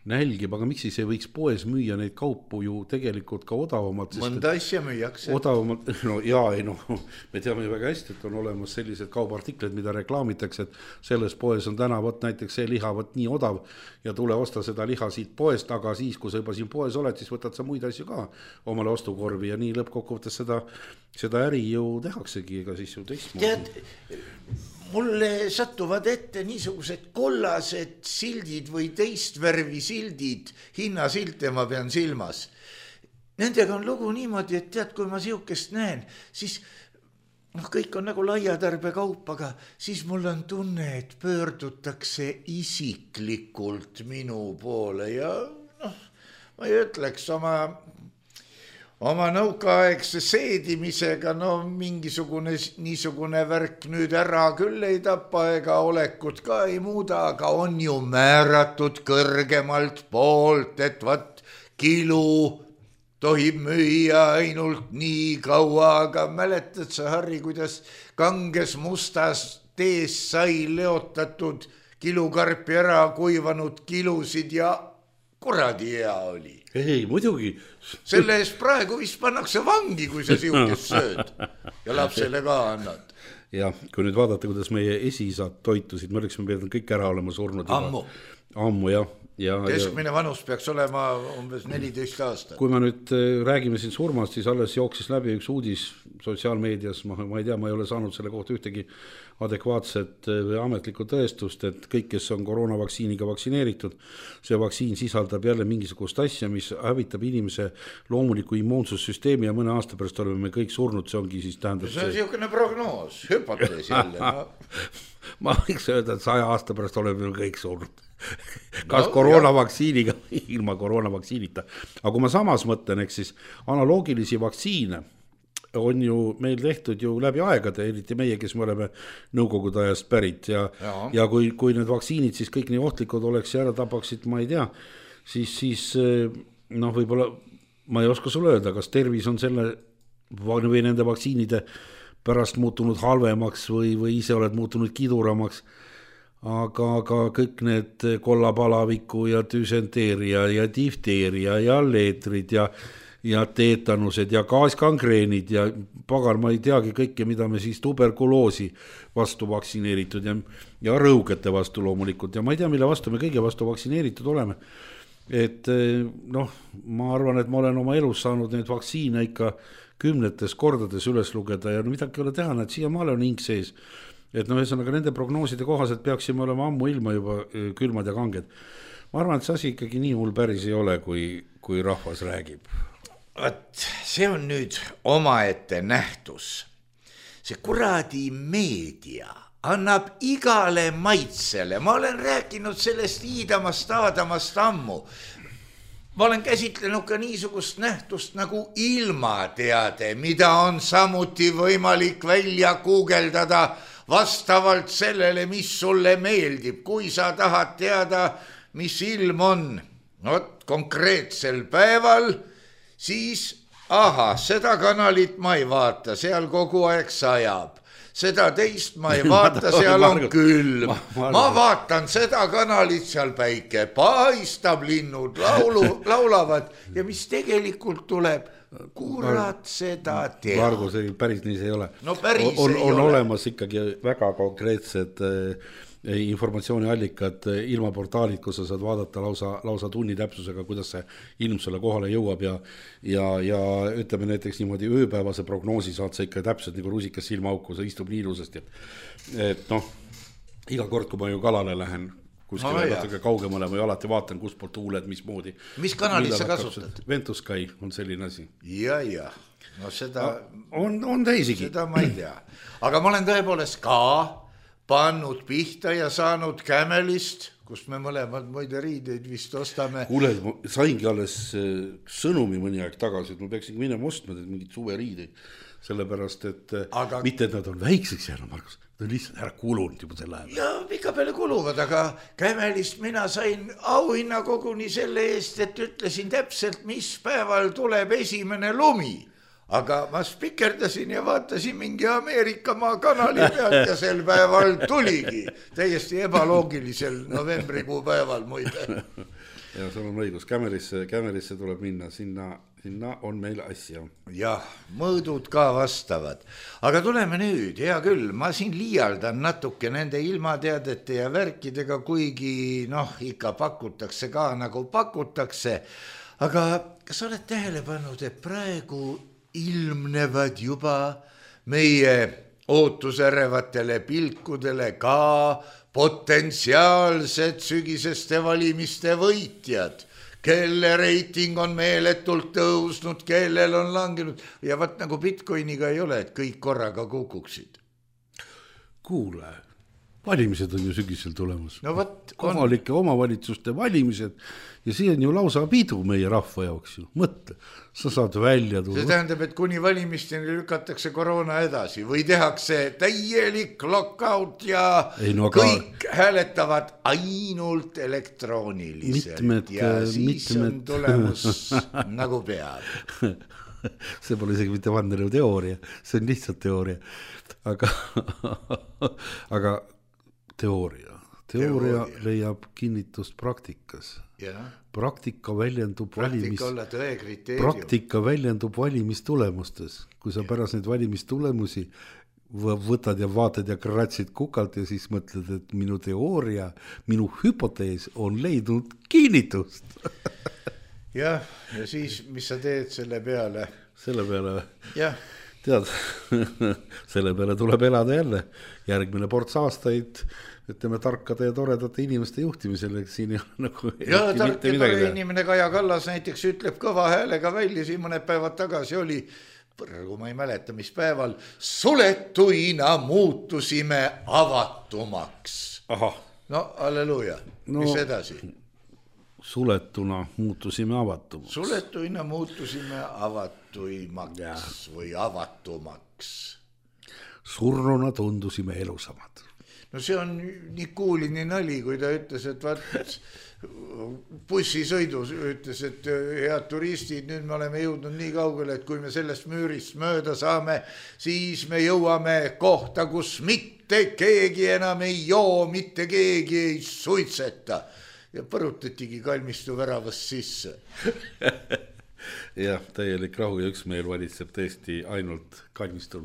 nälgib, aga miks siis ei võiks poes müüa neid kaupu ju tegelikult ka odavamalt? Mõnda asja müüakse. Odavamalt, no jaa, ei no, me teame ju väga hästi, et on olemas sellised kaubartiklid, mida reklaamitakse, et selles poes on täna võt näiteks see liha võt nii odav ja tule osta seda liha siit poest, aga siis, kui sa juba siin poes oled, siis võtad sa muid asju ka omale ostukorvi ja nii lõppkokkuvõttes seda, seda äri ju tehaksegi, ega siis ju teistmoodi. Tead, mulle satuvad ette niisugused kollased sildid või teist värvi sildid, hinnasilte ma pean silmas. Nendega on lugu niimoodi, et tead, kui ma siukest näen, siis noh, kõik on nagu laiatarbe kaup, aga siis mul on tunne, et pöördutakse isiklikult minu poole ja noh, ma ei ütleks oma... Oma nõukaaegse seedimisega, no mingisugune niisugune värk nüüd ära küll ei tapa ega olekut ka ei muuda, aga on ju määratud kõrgemalt poolt, et vat kilu tohib müüa ainult nii kaua, aga mäletad sa, Harri, kuidas kanges mustas tees sai leotatud kilukarpi ära kuivanud kilusid ja kuradi hea oli. Ei, muidugi. Selle eest praegu vist pannakse vangi, kui sa siukest sööd ja lapsele ka annad. Ja kui nüüd vaadata, kuidas meie esisad toitusid, me oleksime pealt kõik ära olema surnud. Ammu. Ammu, jah. Ja, keskmine vanus peaks olema umbes neliteist aastat. Kui me nüüd räägime siin surmast, siis alles jooksis läbi üks uudis sotsiaalmeedias, ma, ma ei tea, ma ei ole saanud selle kohta ühtegi adekvaatset või ametlikku tõestust, et kõik, kes on koroonavaktsiiniga vaktsineeritud, see vaktsiin sisaldab jälle mingisugust asja, mis hävitab inimese loomuliku immuunsussüsteemi ja mõne aasta pärast oleme me kõik surnud, see ongi siis tähendab see on niisugune prognoos, hüpotees jälle no. Ma võiks öelda, et saja aasta pärast oleme kõik surnud kas no, koroonavaktsiiniga ilma koroonavaktsiinita, aga kui ma samas mõtlen, eks siis analoogilisi vaktsiine on ju meil tehtud ju läbi aegade, eriti meie, kes me oleme nõukogude ajast pärit ja, ja. ja kui, kui need vaktsiinid siis kõik nii ohtlikud oleks ja ära tapaksid, ma ei tea, siis, siis noh, võib-olla ma ei oska sulle öelda, kas tervis on selle või nende vaktsiinide pärast muutunud halvemaks või, või ise oled muutunud kiduramaks, aga, aga kõik need kollapalaviku ja düsenteeria ja difteeria ja leetrid ja ja teetanused ja gaaskangreenid ja pagar, ma ei teagi kõike, mida me siis tuberkuloosi vastu vaktsineeritud ja, ja rõugete vastu loomulikult ja ma ei tea, mille vastu me kõige vastu vaktsineeritud oleme. Et noh, ma arvan, et ma olen oma elus saanud neid vaktsiine ikka kümnetes kordades üles lugeda ja no midagi ei ole teha, et siiamaale on hing sees. Et no ühesõnaga nende prognooside kohaselt peaksime olema ammu ilma juba külmad ja kanged. Ma arvan, et see asi ikkagi nii hull päris ei ole, kui, kui rahvas räägib. Võt, see on nüüd omaette nähtus. See kuradi meedia annab igale maitsele. Ma olen rääkinud sellest iidamast, aadamast ammu. ma olen käsitlenud ka niisugust nähtust nagu ilmateade, mida on samuti võimalik välja guugeldada vastavalt sellele, mis sulle meeldib. Kui sa tahad teada, mis ilm on, no konkreetsel päeval, siis aha, seda kanalit ma ei vaata, seal kogu aeg sajab. Seda teist ma ei vaata, seal on külm. Ma vaatan seda kanalit, seal päike paistab, linnud laulu, laulavad ja mis tegelikult tuleb, kurat seda teha. Margo, see päris nii see ei ole. No päris on, ei on ole. olemas ikkagi väga konkreetsed informatsiooniallikad, ilmaportaalid, kus sa saad vaadata lausa, lausa tunni täpsusega, kuidas see ilm sulle kohale jõuab ja, ja, ja ütleme näiteks niimoodi ööpäevase prognoosi saad sa ikka täpselt nagu rusikas silmaauku, sa istub nii ilusasti, et, et noh, iga kord, kui ma ju kalale lähen kuskile no, natuke kaugemale, ma ju alati vaatan, kus poolt tuuled, mismoodi. Mis kanalit sa kasutad? Ventuskai on selline asi. Ja, ja. No seda... On, on teisigi. Seda ma ei tea. Aga ma olen tõepoolest ka pannud pihta ja saanud Kämelist, kus me mõlemad muide riideid vist ostame. Kuule, ma saingi alles sõnumi mõni aeg tagasi, et ma peaksin minema ostma mingid suveriideid, sellepärast, et aga... mitte, et nad on väikseks jäänud, Margus, nad on lihtsalt ära kulunud juba selle ajal. Ja pika peale kuluvad, aga Kämelist mina sain auhinna koguni selle eest, et ütlesin täpselt, mis päeval tuleb esimene lumi. Aga ma spikerdasin ja vaatasin mingi Ameerika maa kanali pealt ja sel päeval tuligi. Täiesti ebaloogilisel novembrikuu päeval muide. Ja sul on õigus, Kämelisse, Kämelisse tuleb minna, sinna, sinna on meil asja. Jah, mõõdud ka vastavad. Aga tuleme nüüd, hea küll, ma siin liialdan natuke nende ilmateadete ja värkidega, kuigi noh, ikka pakutakse ka nagu pakutakse. Aga kas oled tähele pannud, et praegu ilmnevad juba meie ootusärevatele pilkudele ka potentsiaalsed sügiseste valimiste võitjad, kelle reiting on meeletult tõusnud, kellel on langenud ja vaat nagu Bitcoiniga ei ole, et kõik korraga kukuksid. Kuule, valimised on ju sügisel tulemas. No võt, kohalike on... omavalitsuste valimised ja see on ju lausa pidu meie rahva jaoks ju. Mõtle, sa saad välja tuua. See tähendab, et kuni valimisteni lükatakse koroona edasi või tehakse täielik lockout ja no, aga... kõik hääletavad ainult elektrooniliselt mitmed, ja siis mitmed... on tulemus nagu peab. See pole isegi mitte vandenõu teooria, see on lihtsalt teooria. Aga, aga teooria. Teooria, teooria leiab kinnitust praktikas. Ja. Praktika väljendub valimis... Praktika väljendub valimistulemustes. Kui sa pärast neid valimistulemusi võtad ja vaatad ja kratsid kukalt ja siis mõtled, et minu teooria, minu hüpotees on leidnud kinnitust. Jah, ja siis, mis sa teed selle peale? Selle peale? Jah. Tead, selle peale tuleb elada jälle. Järgmine ports aastaid, ütleme, tarkade ja toredate inimeste juhtimisel. Siin ei ole nagu... Ja tark ja tore inimene Kaja Kallas näiteks ütleb kõva häälega välja, siin mõned päevad tagasi oli, praegu ma ei mäleta, mis päeval, suletuina muutusime avatumaks. Aha. No, halleluja. No, mis edasi? Suletuna muutusime avatumaks. Suletuina muutusime avatuimaks või avatumaks. Surnuna tundusime elusamad. No see on nii kuulini nali, kui ta ütles, et vaat bussisõidus ütles, et head turistid, nüüd me oleme jõudnud nii kaugele, et kui me sellest müürist mööda saame, siis me jõuame kohta, kus mitte keegi enam ei joo, mitte keegi ei suitseta. Ja põrutatigi kalmistu väravast sisse. Jah, täielik rahu ja üksmeel valitseb tõesti ainult kalmistul.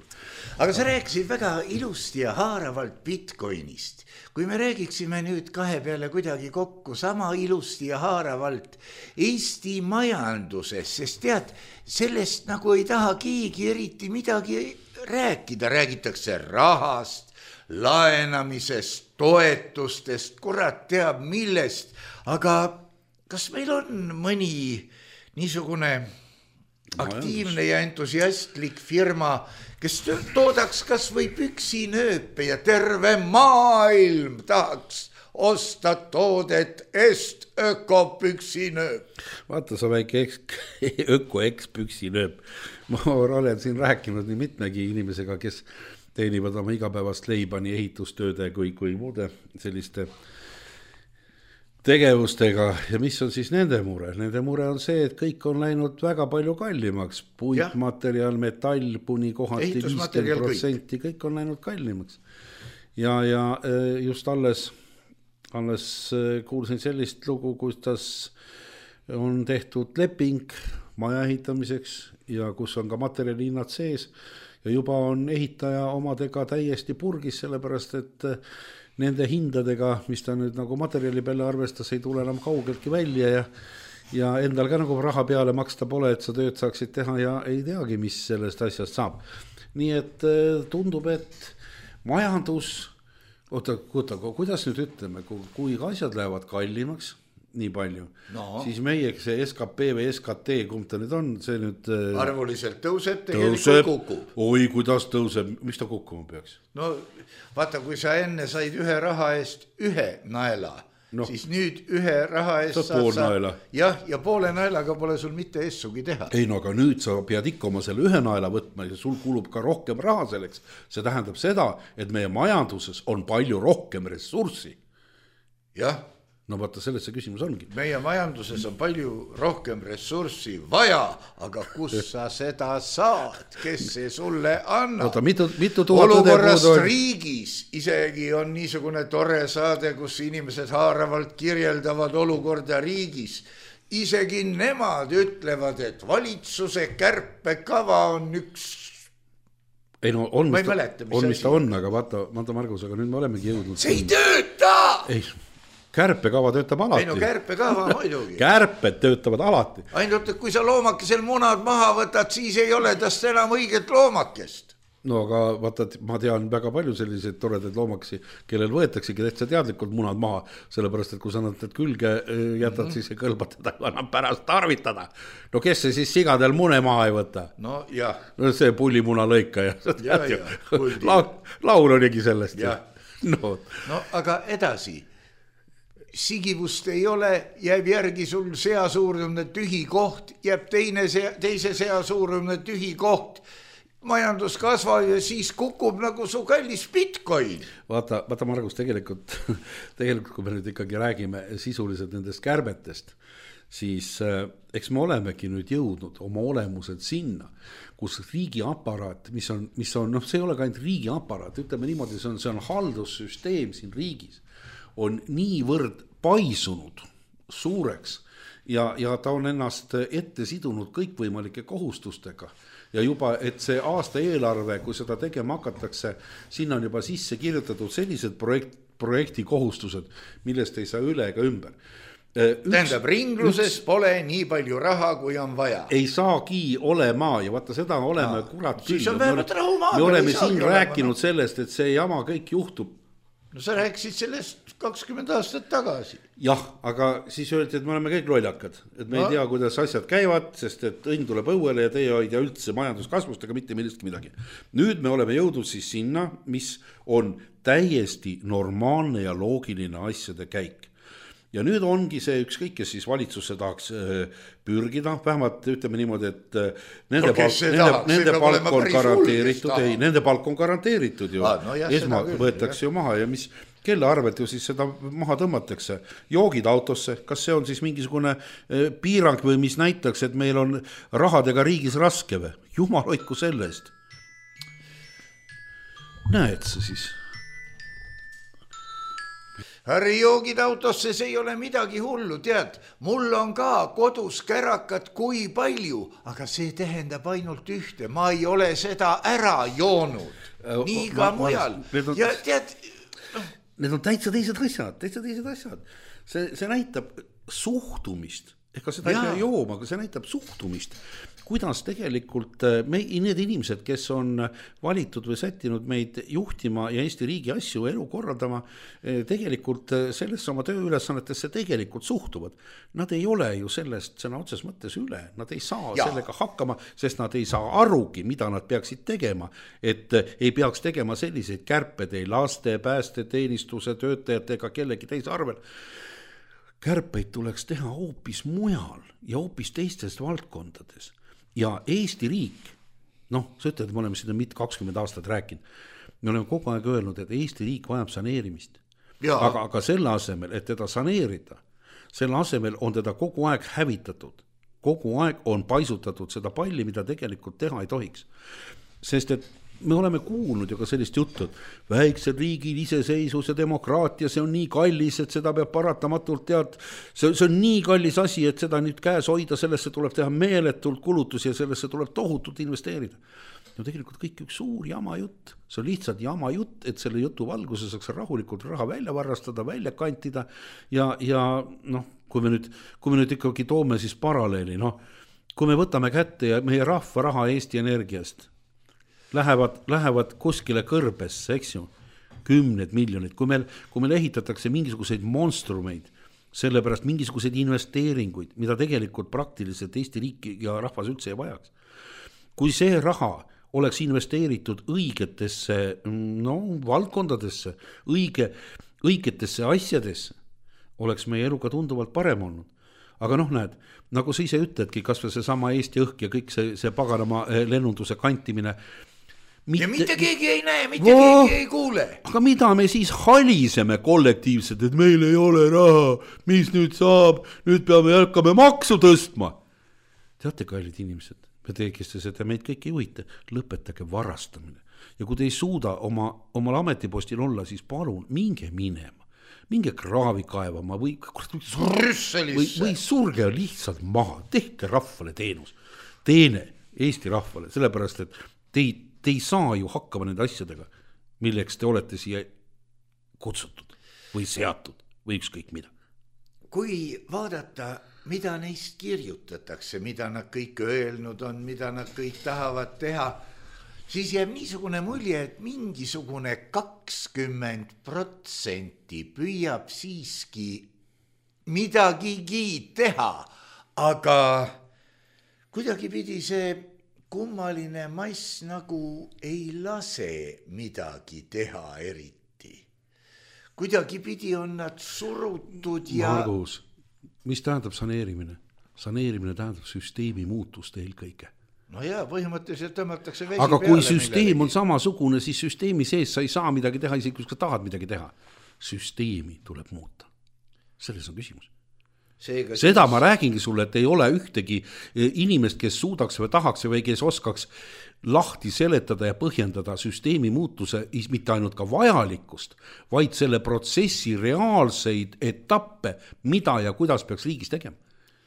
Aga sa rääkisid väga ilusti ja haaravalt Bitcoinist. Kui me räägiksime nüüd kahe peale kuidagi kokku sama ilusti ja haaravalt Eesti majanduses, sest tead, sellest nagu ei taha keegi eriti midagi rääkida. Räägitakse rahast, laenamisest, toetustest, kurat teab millest, aga kas meil on mõni niisugune aktiivne ja entusiastlik firma, kes toodaks kas või püksinööpe ja terve maailm tahaks osta toodet Est ökopüksinööp. Vaata, sa väike eks, öko ekspüksinööp. Ma olen siin rääkinud nii mitmegi inimesega, kes teenivad oma igapäevast leiba nii ehitustööde kui, kui muude selliste tegevustega. Ja mis on siis nende mure? Nende mure on see, et kõik on läinud väga palju kallimaks. Puitmaterjal, metall, kuni kohati viiskümmend protsenti, kõik on läinud kallimaks. Ja, ja just alles, alles kuulsin sellist lugu, kuidas on tehtud leping maja ehitamiseks ja kus on ka materjalihinnad sees ja juba on ehitaja omadega täiesti purgis, sellepärast et nende hindadega, mis ta nüüd nagu materjali peale arvestas, ei tule enam kaugeltki välja ja, ja endal ka nagu raha peale maksta pole, et sa tööd saaksid teha ja ei teagi, mis sellest asjast saab. Nii et tundub, et majandus, oota, oota, kuidas nüüd ütleme, kui asjad lähevad kallimaks, nii palju, no. Siis meie see S K P või S K T, kumb ta nüüd on, see nüüd arvuliselt tõuseb, tegelikult kukub. Oi, kuidas tõuseb, mis ta kukkuma peaks? No vaata, kui sa enne said ühe raha eest ühe naela, no. Siis nüüd ühe raha eest saad pool sa, naela. Jah, ja poole naelaga pole sul mitte essugi teha. Ei, no aga nüüd sa pead ikka oma selle ühe naela võtma ja sul kulub ka rohkem raha selleks. See tähendab seda, et meie majanduses on palju rohkem ressurssi. Jah. No vaata, selles see küsimus ongi. Meie majanduses on palju rohkem ressurssi vaja, aga kus sa seda saad, kes see sulle annab? Oota, mitu, mitu tuhat olukorrast on... riigis isegi on niisugune tore saade, kus inimesed haaravalt kirjeldavad olukorda riigis. Isegi nemad ütlevad, et valitsuse kärpekava on üks... Ei no on, ma ei mäleta, mis, on, mis ta on, aga vaata, vaata Margus, aga nüüd me olemegi jõudnud. See ei tööta! Ei... Kärpekava töötab alati. Ei no kärpekava muidugi. Kärped töötavad alati. Ainult, et kui sa loomakesel munad maha võtad, siis ei ole tast enam õiget loomakest. No aga vaata, ma tean väga palju selliseid toredaid loomakesi, kellel võetaksegi täitsa teadlikult munad maha, sellepärast, et kui sa nad külge jätad, mm-hmm. siis ei kõlba teda enam pärast tarvitada. No kes see siis sigadel mune maha ei võta? No jah. No see pullimuna lõika ja, ja, ja La, laul oligi sellest. No. no aga edasi. Sigivust ei ole, jääb järgi sul seasuurune tühi koht, jääb teine sea, teise seasuurune tühi koht, majandus kasvab ja siis kukub nagu su kallis Bitcoin. Vaata, vaata Margus, tegelikult, tegelikult kui me nüüd ikkagi räägime sisuliselt nendest kärbetest, siis äh, eks me olemegi nüüd jõudnud oma olemused sinna, kus riigi aparaat, mis on, mis on, noh, see ei ole ka ainult riigi aparaat, ütleme niimoodi, see on, see on haldussüsteem siin riigis, on niivõrd paisunud suureks ja, ja ta on ennast ette sidunud kõikvõimalike kohustustega ja juba, et see aasta eelarve, kui seda tegema hakatakse, sinna on juba sisse kirjutatud sellised projekt, projekti kohustused, millest ei saa üle ega ümber. Üks, tähendab, ringluses üks, pole nii palju raha, kui on vaja. Ei saagi olema ja vaata seda oleme no, kurat küll. Me, me oleme siin rääkinud olema. Sellest, et see jama kõik juhtub. No sa rääkisid sellest kakskümmend aastat tagasi. Jah, aga siis öeldi, et me oleme kõik lollakad. Et me no. ei tea, kuidas asjad käivad, sest et õnn tuleb õuele ja teie ei tea üldse majanduskasvust ega mitte millestki midagi. Nüüd me oleme jõudnud siis sinna, mis on täiesti normaalne ja loogiline asjade käik. Ja nüüd ongi see ükskõik, kes siis valitsusse tahaks pürgida, vähemalt ütleme niimoodi, et nende, no, palk, nende, nende palk on garanteeritud, ei, nende palk on garanteeritud ju, ah, no jah, esma võetakse ju maha ja mis, kelle arvelt ju siis seda maha tõmmatakse, joogid autosse, kas see on siis mingisugune piirang või mis näitaks, et meil on rahadega riigis raske või, jumal hoidku selle eest. Näed sa siis? Harri joogid autosse, see ei ole midagi hullu, tead, mul on ka kodus kärakat kui palju, aga see tähendab ainult ühte, ma ei ole seda ära joonud, nii ka ma, mujal. On, ja tead... Need on täitsa teised asjad, täitsa teised asjad. See, see näitab suhtumist ega seda ei pea jooma, aga see näitab suhtumist. Kuidas tegelikult me, need inimesed, kes on valitud või sättinud meid juhtima ja Eesti riigi asju elu korraldama, tegelikult sellesse oma tööülesannetesse tegelikult suhtuvad. Nad ei ole ju sellest sõna otses mõttes üle, nad ei saa ja. sellega hakkama, sest nad ei saa arugi, mida nad peaksid tegema, et ei peaks tegema selliseid kärped ei laste, pääste, teenistuse, töötajate ega kellegi teise arvel. Kärpeid tuleks teha hoopis mujal ja hoopis teistes valdkondades. Ja Eesti riik, noh, sa ütled, et me oleme seda mitte kakskümmend aastat rääkinud, me oleme kogu aeg öelnud, et Eesti riik vajab saneerimist. Aga, aga selle asemel, et teda saneerida, selle asemel on teda kogu aeg hävitatud. Kogu aeg on paisutatud seda palli, mida tegelikult teha ei tohiks. Sest et me oleme kuulnud ju ka sellist juttu, et väiksel riigil iseseisus ja demokraatia, see on nii kallis, et seda peab paratamatult tead, see, see on nii kallis asi, et seda nüüd käes hoida, sellesse tuleb teha meeletult kulutusi ja sellesse tuleb tohutult investeerida. No tegelikult kõik üks suur jama jutt, see on lihtsalt jama jutt, et selle jutu valguses saaks rahulikult raha välja varastada, välja kantida ja, ja noh, kui me nüüd, kui me nüüd ikkagi toome siis paralleeli, noh, kui me võtame kätte ja meie rahva raha Eesti Energiast, Lähevad, lähevad kuskile kõrbesse, eks ju, kümned miljonid. Kui meil, kui meil ehitatakse mingisuguseid monstrumeid, sellepärast mingisuguseid investeeringuid, mida tegelikult praktiliselt Eesti riik ja rahvas üldse ei vajaks. Kui see raha oleks investeeritud õigetesse no, valdkondadesse, õige, õigetesse asjadesse, oleks meie elu ka tunduvalt parem olnud. Aga noh, näed, nagu sa ise ütledki, kas või see sama Eesti õhk ja kõik see, see paganama lennunduse kantimine, Mitte, ja mitte keegi ei näe, mitte oh, keegi ei kuule. Aga mida me siis haliseme kollektiivselt, et meil ei ole raha, mis nüüd saab, nüüd peame jätkame maksu tõstma. Teate, kallid inimesed, me teekiste seda, meid kõik ei huvita, lõpetage varastamine. Ja kui te ei suuda oma, omal ametipostil olla, siis palun, minge minema, minge kraavi kaevama või, või, või surge lihtsalt maha, tehke rahvale teenus, teene Eesti rahvale, sellepärast, et teid Te ei saa ju hakkama nende asjadega, milleks te olete siia kutsutud või seatud või ükskõik mida. Kui vaadata, mida neist kirjutatakse, mida nad kõik öelnud on, mida nad kõik tahavad teha, siis jääb niisugune mulje, et mingisugune kakskümmend protsenti püüab siiski midagigi teha, aga kuidagi pidi see kummaline mass nagu ei lase midagi teha eriti. Kuidagi pidi on nad surutud ja... Margus, mis tähendab saneerimine? Saneerimine tähendab süsteemi muutust eelkõige. No jaa, põhimõtteliselt tõmmatakse vesi aga peale. Aga kui süsteem millegi. On samasugune, siis süsteemi sees sa ei saa midagi teha, isegi kui sa tahad midagi teha. Süsteemi tuleb muuta. Selles on küsimus. Seega, seda siis... ma räägingi sulle, et ei ole ühtegi inimest, kes suudaks või tahaks või kes oskaks lahti seletada ja põhjendada süsteemi muutuse mitte ainult ka vajalikkust, vaid selle protsessi reaalseid etappe, mida ja kuidas peaks riigis tegema.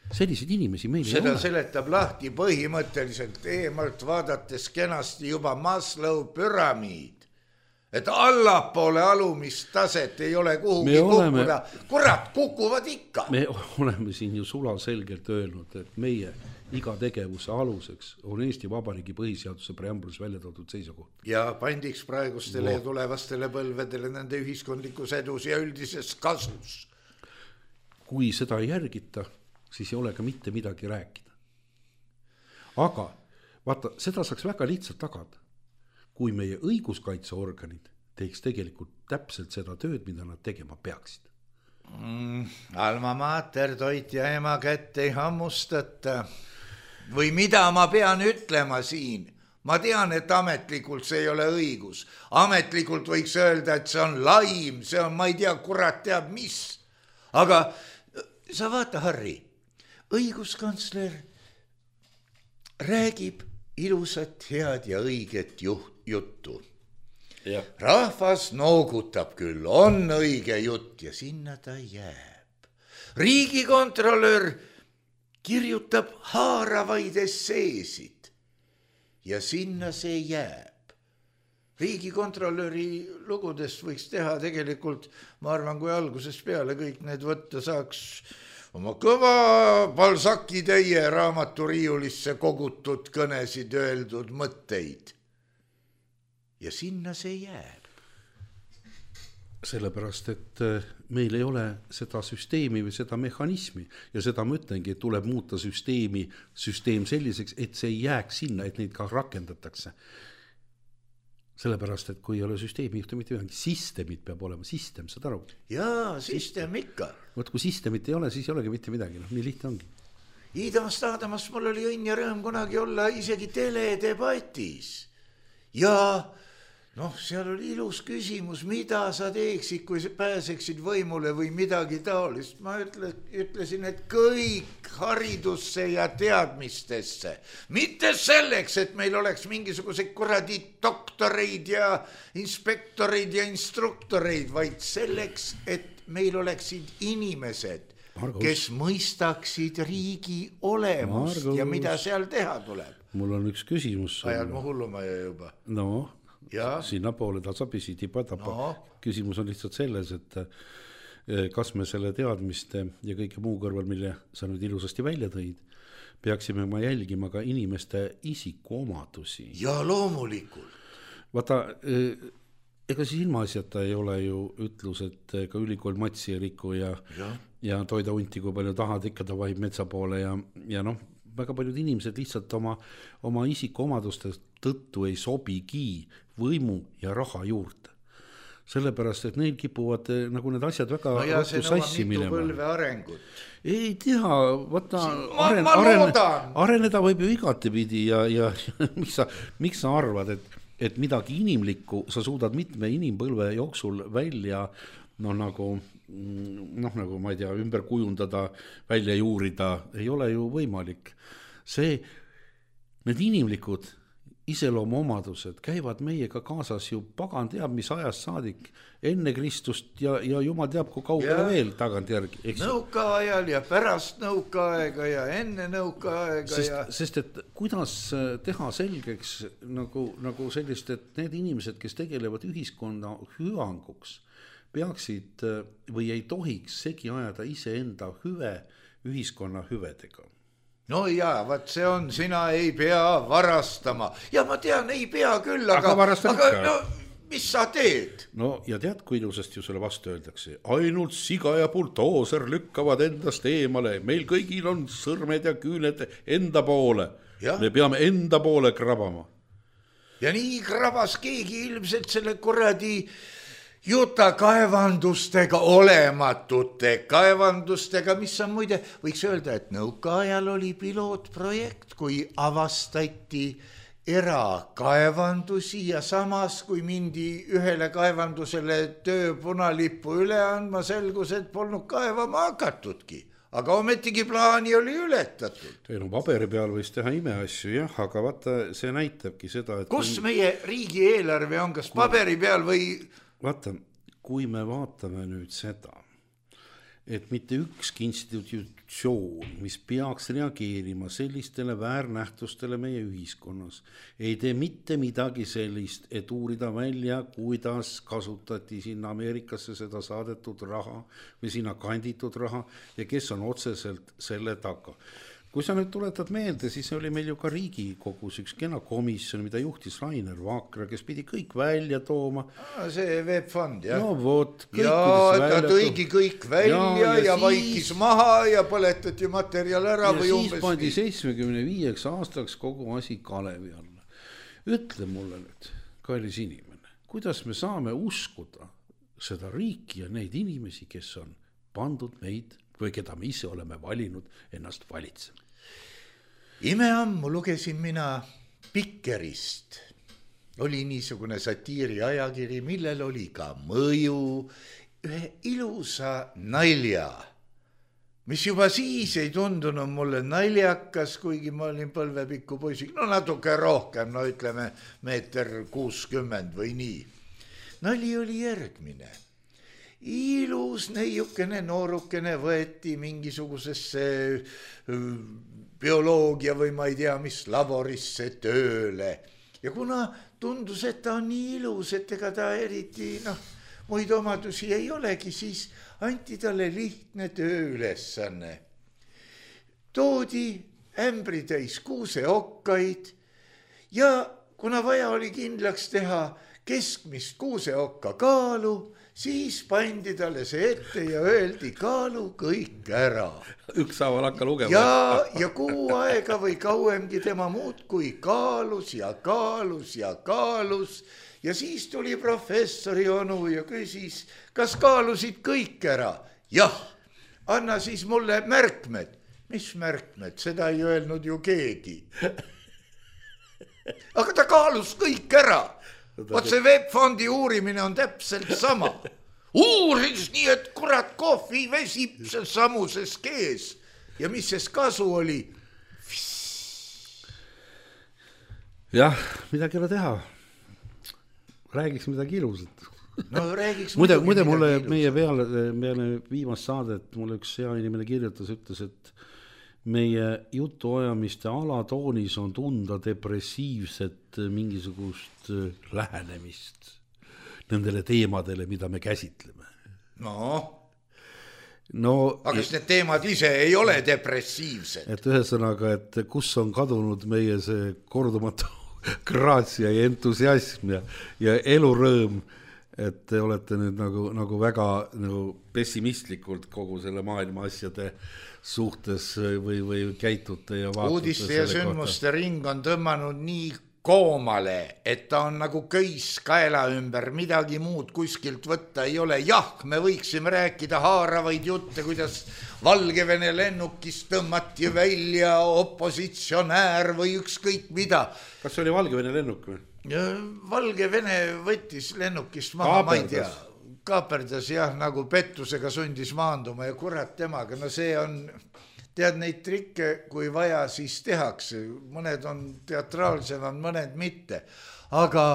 Selliseid inimesi meil ei seda ole. Seletab lahti põhimõtteliselt eemalt vaadates kenasti juba Maslow püramiid. Et allapoole alumist taset ei ole kuhugi oleme, kukkuda. Kurat, kukuvad ikka. Me oleme siin ju sula selgelt öelnud, et meie iga tegevuse aluseks on Eesti Vabariigi põhiseaduse preambulis välja toodud seisukoht. Ja pandiks praegustele no. ja tulevastele põlvedele nende ühiskondlikus edus ja üldises kasus. Kui seda ei järgita, siis ei ole ka mitte midagi rääkida. Aga vaata, seda saaks väga lihtsalt tagada. Kui meie õiguskaitseorganid teeks tegelikult täpselt seda tööd, mida nad tegema peaksid. Mm, alma mater, toit ja ema kätt ei hammustata. Või mida ma pean ütlema siin? Ma tean, et ametlikult see ei ole õigus. Ametlikult võiks öelda, et see on laim, see on, ma ei tea, kurat teab mis. Aga sa vaata, Harri, õiguskantsler räägib ilusat, head ja õiget juht. juttu. Ja. Rahvas noogutab küll, on õige jutt ja sinna ta jääb. Riigikontrolör kirjutab haaravaid esseesid ja sinna see jääb. Riigikontrolöri lugudest võiks teha tegelikult, ma arvan, kui algusest peale kõik need võtta saaks oma kõva Balzaci täie raamaturiiulisse kogutud kõnesid öeldud mõtteid. Ja sinna see jääb. Sellepärast, et meil ei ole seda süsteemi või seda mehhanismi ja seda ma ütlengi, et tuleb muuta süsteemi, süsteem selliseks, et see ei jääks sinna, et neid ka rakendatakse. Sellepärast, et kui ei ole süsteemi juhtu mitte midagi, sistemid peab olema, sistem, saad aru? Jaa, sistem ikka. Võt, kui sistemit ei ole, siis ei olegi mitte midagi, no, nii lihtne ongi. Iidamast Aadamast mul oli õnn ja rõõm kunagi olla isegi teledebatis. Ja noh, seal oli ilus küsimus, mida sa teeksid, kui pääseksid võimule või midagi taolist. Ma ütle, ütlesin, et kõik haridusse ja teadmistesse. Mitte selleks, et meil oleks mingisugused kuradi doktoreid ja inspektoreid ja instruktoreid, vaid selleks, et meil oleksid inimesed, Margus, kes mõistaksid riigi olemust Margus, ja mida seal teha tuleb. Mul on üks küsimus. Ajal ma hulluma juba. No, ja sinna poole tasapisi tipa-tapa. No. Küsimus on lihtsalt selles, et kas me selle teadmiste ja kõike muu kõrval, mille sa nüüd ilusasti välja tõid, peaksime ma jälgima ka inimeste isikuomadusi. Ja loomulikult. Vaata, ega siis ilmaasjata ei ole ju ütlus, et ka ülikool matsi ei riku ja, ja. ja toida unti, kui palju tahad, ikka ta vahib metsa poole ja, ja noh, väga paljud inimesed lihtsalt oma, oma isikuomaduste tõttu ei sobigi võimu ja raha juurde. Sellepärast, et neil kipuvad nagu need asjad väga no ja see nõuab mitu põlve arengut. Ei tea, võtta, aren, aren, areneda võib ju igatepidi ja, ja, ja miks, sa, miks sa arvad, et, et midagi inimlikku sa suudad mitme inimpõlve jooksul välja no nagu noh, nagu ma ei tea, ümber kujundada, välja juurida, ei ole ju võimalik. See, need inimlikud iseloomuomadused käivad meiega kaasas ju pagan teab, mis ajast saadik enne Kristust ja, ja jumal teab, kui kaugele veel tagantjärgi. Nõukaajal ja pärast nõukaaega ja enne nõukaaega. Sest, ja... sest et kuidas teha selgeks nagu, nagu sellist, et need inimesed, kes tegelevad ühiskonna hüvanguks, peaksid või ei tohiks segi ajada iseenda hüve ühiskonna hüvedega. No jaa, vaat see on, sina ei pea varastama. Ja ma tean, ei pea küll, aga, aga, aga no, mis sa teed? No ja tead, kui ilusasti ju selle vastu öeldakse. Ainult siga ja bultooser lükkavad endast eemale. Meil kõigil on sõrmed ja küüned enda poole. Ja? Me peame enda poole krabama. Ja nii krabas keegi ilmselt selle kuradi juta kaevandustega, olematute kaevandustega, mis on muide, võiks öelda, et nõukaajal oli pilootprojekt, kui avastati erakaevandusi ja samas, kui mindi ühele kaevandusele töö punalippu üle andma, selgus, et polnud kaevama hakatudki. Aga ometigi plaani oli ületatud. Ei, no paberi peal võis teha imeasju, jah, aga vaata, see näitabki seda, et... Kus kui... meie riigi eelarve on, kas paberi peal või... Vaata, kui me vaatame nüüd seda, et mitte ükski institutsioon, mis peaks reageerima sellistele väärnähtustele meie ühiskonnas, ei tee mitte midagi sellist, et uurida välja, kuidas kasutati sinna Ameerikasse seda saadetud raha või sinna kanditud raha ja kes on otseselt selle taga. Kui sa nüüd tuletad meelde, siis oli meil ju ka Riigikogus üks kena komisjon, mida juhtis Rainer Vakra, kes pidi kõik välja tooma. See veebfond, jah. No vot, kõik ja ta tõigi kõik välja ja, ja, ja siis... vaikis maha ja põletati materjal ära. Ja või siis umbes... pandi seitsmekümne viieks aastaks kogu asi Kalevi alla. Ütle mulle nüüd, kallis inimene, kuidas me saame uskuda seda riiki ja neid inimesi, kes on pandud meid või keda me ise oleme valinud ennast valitsema. Imeammu lugesin mina Pikkerist. Oli niisugune satiiri ajakiri, millel oli ka mõju ühe ilusa nalja, mis juba siis ei tundunud mulle naljakas, kuigi ma olin põlvepikku poisik, no natuke rohkem, no ütleme meeter kuuskümmend või nii. Nali oli järgmine. Ilus neiukene noorukene võeti mingisugusesse bioloogia või ma ei tea mis laborisse tööle. Ja kuna tundus, et ta on nii ilus, et ega ta eriti noh, muid omadusi ei olegi, siis anti talle lihtne tööülesanne. Toodi ämbritäis kuuseokkaid ja kuna vaja oli kindlaks teha keskmist kuuseokka kaalu, siis pandi talle see ette ja öeldi kaalu kõik ära. Ükshaaval hakka lugema. Ja, ja kuu aega või kauemgi tema muud kui kaalus ja kaalus ja kaalus. Ja siis tuli professori onu ja küsis, kas kaalusid kõik ära? Jah, anna siis mulle märkmed. Mis märkmed? Seda ei öelnud ju keegi. Aga ta kaalus kõik ära. Vaat see webfondi uurimine on täpselt sama. Uuris nii, et kurat kohvi vesib seal samuses kees. Ja mis ses kasu oli? Jah, midagi ei ole teha. Räägiks midagi ilusat. No räägiks muide, muide mulle meie peale, peale viimast saadet mulle üks hea inimene kirjutas, ütles, et meie jutuajamiste alatoonis on tunda depressiivset mingisugust lähenemist nendele teemadele, mida me käsitleme. No, no aga kas need teemad ise ei ole depressiivsed? Et ühesõnaga, et kus on kadunud meie see kordumatu graatsia ja entusiasm ja, ja elurõõm, et te olete nüüd nagu, nagu väga nagu pessimistlikult kogu selle maailma asjade suhtes või, või käitute ja vaatate. Uudiste ja sündmuste kohta. Ring on tõmmanud nii koomale, et ta on nagu köis kaela ümber, midagi muud kuskilt võtta ei ole. Jah, me võiksime rääkida haaravaid jutte, kuidas Valgevene lennukist tõmmati välja opositsionäär või ükskõik mida. Kas see oli Valgevene lennuk või? Ja Valgevene võttis lennukist maha, ma ei tea. Kaaperdas jah, nagu pettusega sundis maanduma ja kurat temaga. No see on, tead neid trikke, kui vaja, siis tehakse. Mõned on teatraalsemad, mõned mitte. Aga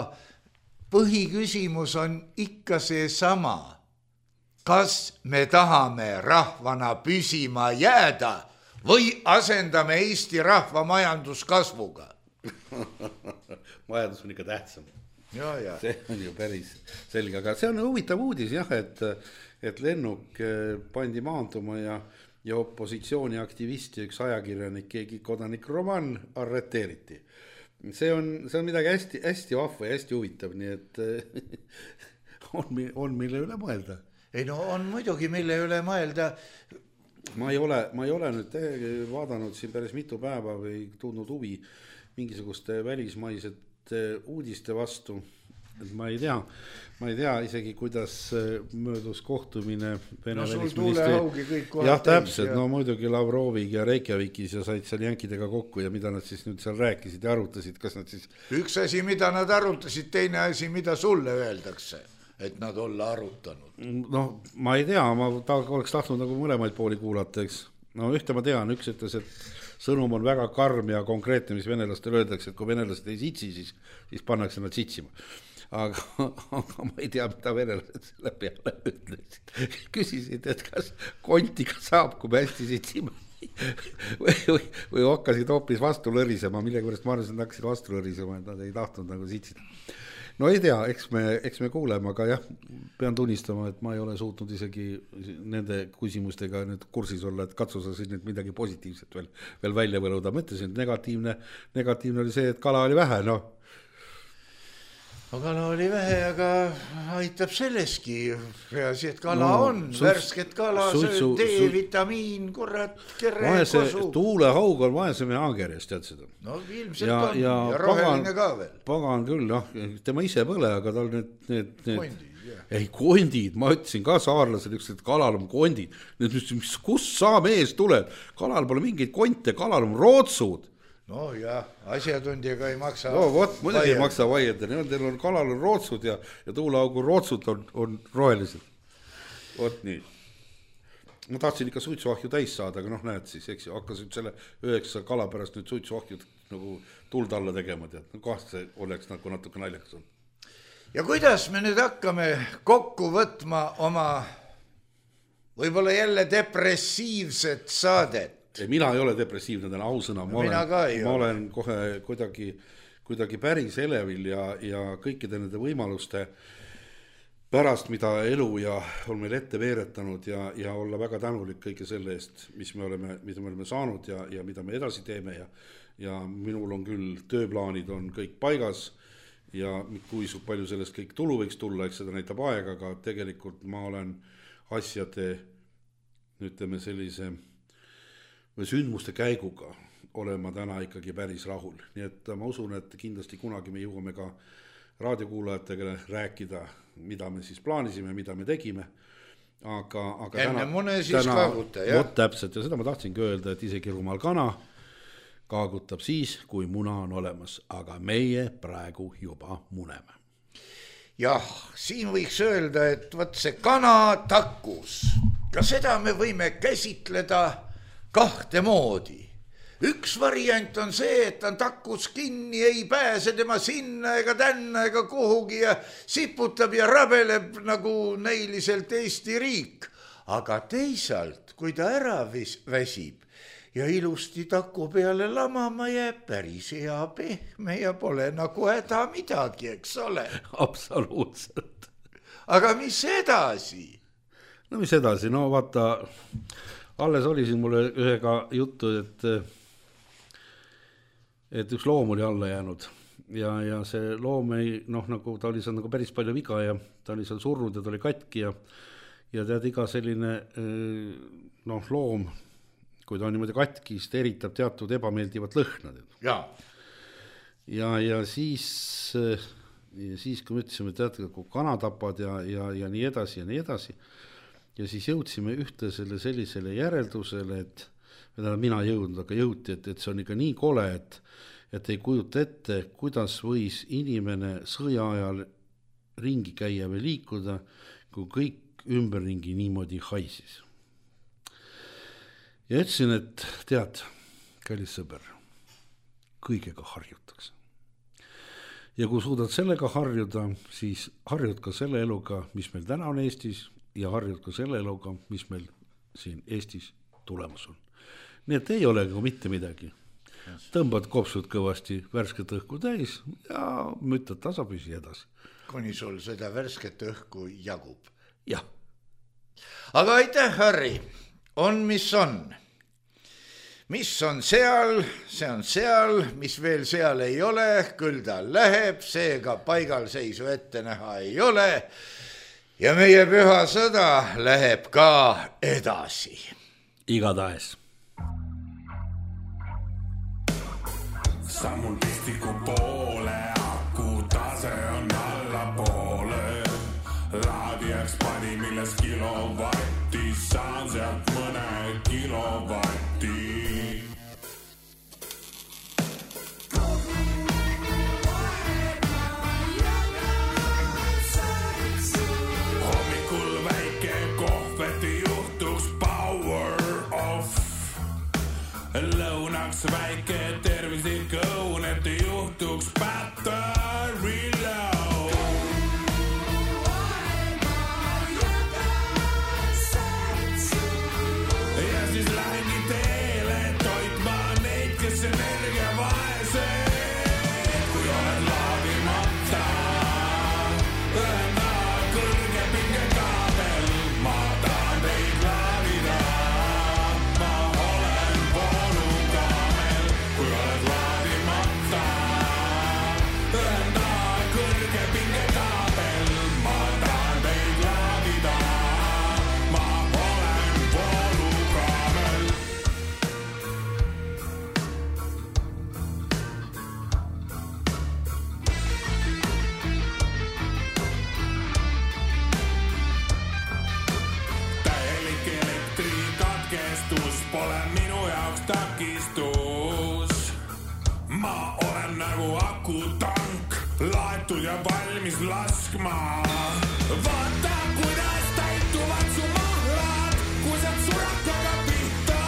põhiküsimus on ikka see sama. Kas me tahame rahvana püsima jääda või asendame Eesti rahva majanduskasvuga? Majandus on ikka tähtsam. Ja, ja. See on ju päris selge, aga see on huvitav uudis jah, et, et lennuk pandi maanduma ja, ja opositsiooni aktivisti üks ajakirjanik, keegi kodanik Roman arreteeriti. See on, see on midagi hästi, hästi vahva ja hästi huvitav, nii et on, on mille üle mõelda. Ei no on muidugi mille üle mõelda. Ma ei ole, ma ei ole nüüd vaadanud siin päris mitu päeva või tundnud huvi mingisuguste välismaised uudiste vastu, et ma ei tea, ma ei tea isegi, kuidas möödus kohtumine Vene no sul tuulehaugi kõik kohad. Jah, täpselt, ja. No muidugi Lavroviga ja Reykjavikis ja said seal jänkidega kokku ja mida nad siis nüüd seal rääkisid ja arutasid, kas nad siis... Üks asi, mida nad arutasid, teine asi, mida sulle öeldakse, et nad olla arutanud. No ma ei tea, ma ta oleks tahtnud nagu mõlemaid pooli kuulata, eks. No ühte ma tean, üks ütles, et sõnum on väga karm ja konkreetne, mis venelastel öeldakse, et kui venelased ei sitsi, siis, siis pannakse nad sitsima. Aga, aga ma ei tea, mida venelased selle peale ütlesid. Küsisid, et kas kontiga saab, kui me hästi sitsime või, või, või hakkasid hoopis vastu lõrisema, mille juures ma arvasin, et hakkasid vastu lõrisema, et nad ei tahtnud nagu sitsida. No ei tea, eks me, eks me kuuleme, aga jah, pean tunnistama, et ma ei ole suutnud isegi nende küsimustega nüüd kursis olla, et katsu sa siis nüüd midagi positiivset veel, veel välja võluda. Mõtlesin, et negatiivne, negatiivne oli see, et kala oli vähe, noh. No kala oli vähe, aga aitab selleski. Peasi, et kala no, on, suits, värsket kala, suitsu, D-vitamiin, kurat, kere, vaese, kosu. Tuulehaug on vaesem ja angerjas, tead seda. No ilmselt ja, on ja, ja roheline pagan, ka veel. Pagan küll, noh, tema ise põle, aga tal need... need, need kondid, jah. Ei, kondid, ma ütlesin ka saarlased, üks, et kalal on kondid. Need, mis, kus sa mees tuled? Kalal pole mingeid konte, kalal on rootsud. No jah, asjatundjaga ei maksa. No vot, muidugi ei maksa vaielda. Teil on kalal on rootsud ja, ja tuulehaugu rootsud on, on rohelised. Vot nii. Ma tahtsin ikka suitsuahju täis saada, aga noh, näed siis, eks ju, hakkasid selle üheksa kala pärast nüüd suitsuahjud nagu tuld alla tegema, tead. No kohast see oleks nagu natuke naljakas on. Ja kuidas me nüüd hakkame kokku võtma oma võib-olla jälle depressiivset saadet? Mina ei ole depressiivne, täna ausõna, ma, no, olen, ma olen kohe kuidagi, kuidagi päris elevil ja, ja kõikide nende võimaluste pärast, mida elu ja on meil ette veeretanud ja, ja olla väga tänulik kõige selle eest, mis me oleme, mida me oleme saanud ja, ja mida me edasi teeme ja, ja minul on küll tööplaanid on kõik paigas ja kui palju sellest kõik tulu võiks tulla, eks seda näitab aega, aga tegelikult ma olen asjade, ütleme sellise või sündmuste käiguga olen ma täna ikkagi päris rahul. Nii et ma usun, et kindlasti kunagi me jõuame ka raadiokuulajatega rääkida, mida me siis plaanisime, mida me tegime. Aga, aga enne täna, mune siis täna, kaaguta, jah? Vot täpselt, ja seda ma tahtsingi öelda, et isegi rumal kana kaagutab siis, kui muna on olemas, aga meie praegu juba muneme. Jah, siin võiks öelda, et võt see kana takkus, ka seda me võime käsitleda kahte moodi. Üks variant on see, et on takkus kinni, ei pääse tema sinna ega tänna ega kuhugi ja siputab ja rabeleb nagu näiliselt Eesti riik. Aga teisalt, kui ta ära väsib ja ilusti taku peale lamama jääb, päris hea pehme ja pole nagu häda midagi, eks ole? Absoluutselt. Aga mis edasi? No mis edasi? No vaata, alles oli siin mulle ühega juttu, et et üks loom oli alla jäänud ja, ja see loom ei, noh, nagu ta oli seal nagu päris palju viga ja ta oli seal surnud ja ta oli katki ja, ja tead iga selline noh, loom, kui ta on niimoodi katki, siis ta eritab teatud ebameeldivat lõhna. Ja, ja, ja siis, ja siis kui me ütlesime, teate, kui kana tapad ja, ja, ja nii edasi ja nii edasi ja siis jõudsime ühte selle sellisele järeldusele, et mina jõudnud, aga jõuti, et, et see on ikka nii kole, et, et ei kujuta ette, kuidas võis inimene sõja ajal ringi käia või liikuda, kui kõik ümberringi niimoodi haisis. Ja ütlesin, et tead, kallis sõber, kõigega harjutakse. Ja kui suudad sellega harjuda, siis harjud ka selle eluga, mis meil täna on Eestis ja harjud ka selle eluga, mis meil siin Eestis tulemas on. Nii et ei ole nagu mitte midagi. Tõmbad kopsud kõvasti värsket õhku täis ja müttad tasapüsi edasi. Kuni sul seda värsket õhku jagub. Jah. Aga aitäh, Harri. On, mis on. Mis on seal, see on seal, mis veel seal ei ole, küll ta läheb, seega paigal seisu ette näha ei ole. Ja meie püha sõda läheb ka edasi. Igatahes. Sammul pistiku poole, aku tase on alla poole. Laadiaks pani milles kilovatti, saan sealt mõne kilovatti. Hommikul väike kohveti juhtuks power off. Lõunaks väike tervislik õun, et juhtuks battery low. Ja siis lähengi teele toitma neid, kes energia vaesed. Kui oled laadimata, ühenda kõrge pinge kaabel, ma tahan teid laadida. Ma olen voolukaamel, kui oled laadimata, ühenda kõrge pinge kaabel, ma tahan teid laadida. Ma olen voolukaamel. Täielik elektrikatkestus pole minu jaoks takistus. Ma olen nagu akutank, laetud ja valmis laskma. Vaata, kuidas täituvad su mahlad, kui saad surakaga pihta.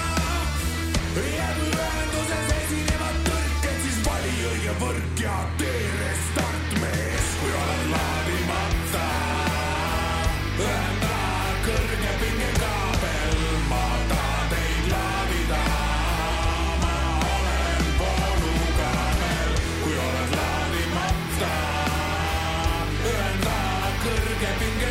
Ja kui ühenduses esinevad tõrked, siis vali õige võrk ja tee restart mees, kui oled laadimata. Ühenda kõrge pinge kaabel, ma tahan teid laadida. Ma olen voolukaamel, kui oled laadimata. Ühenda kõrge pinge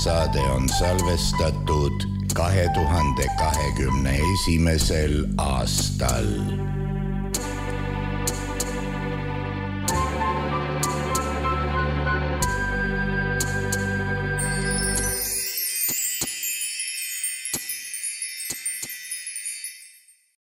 saade on salvestatud kahe tuhande kahekümne esimesel aastal.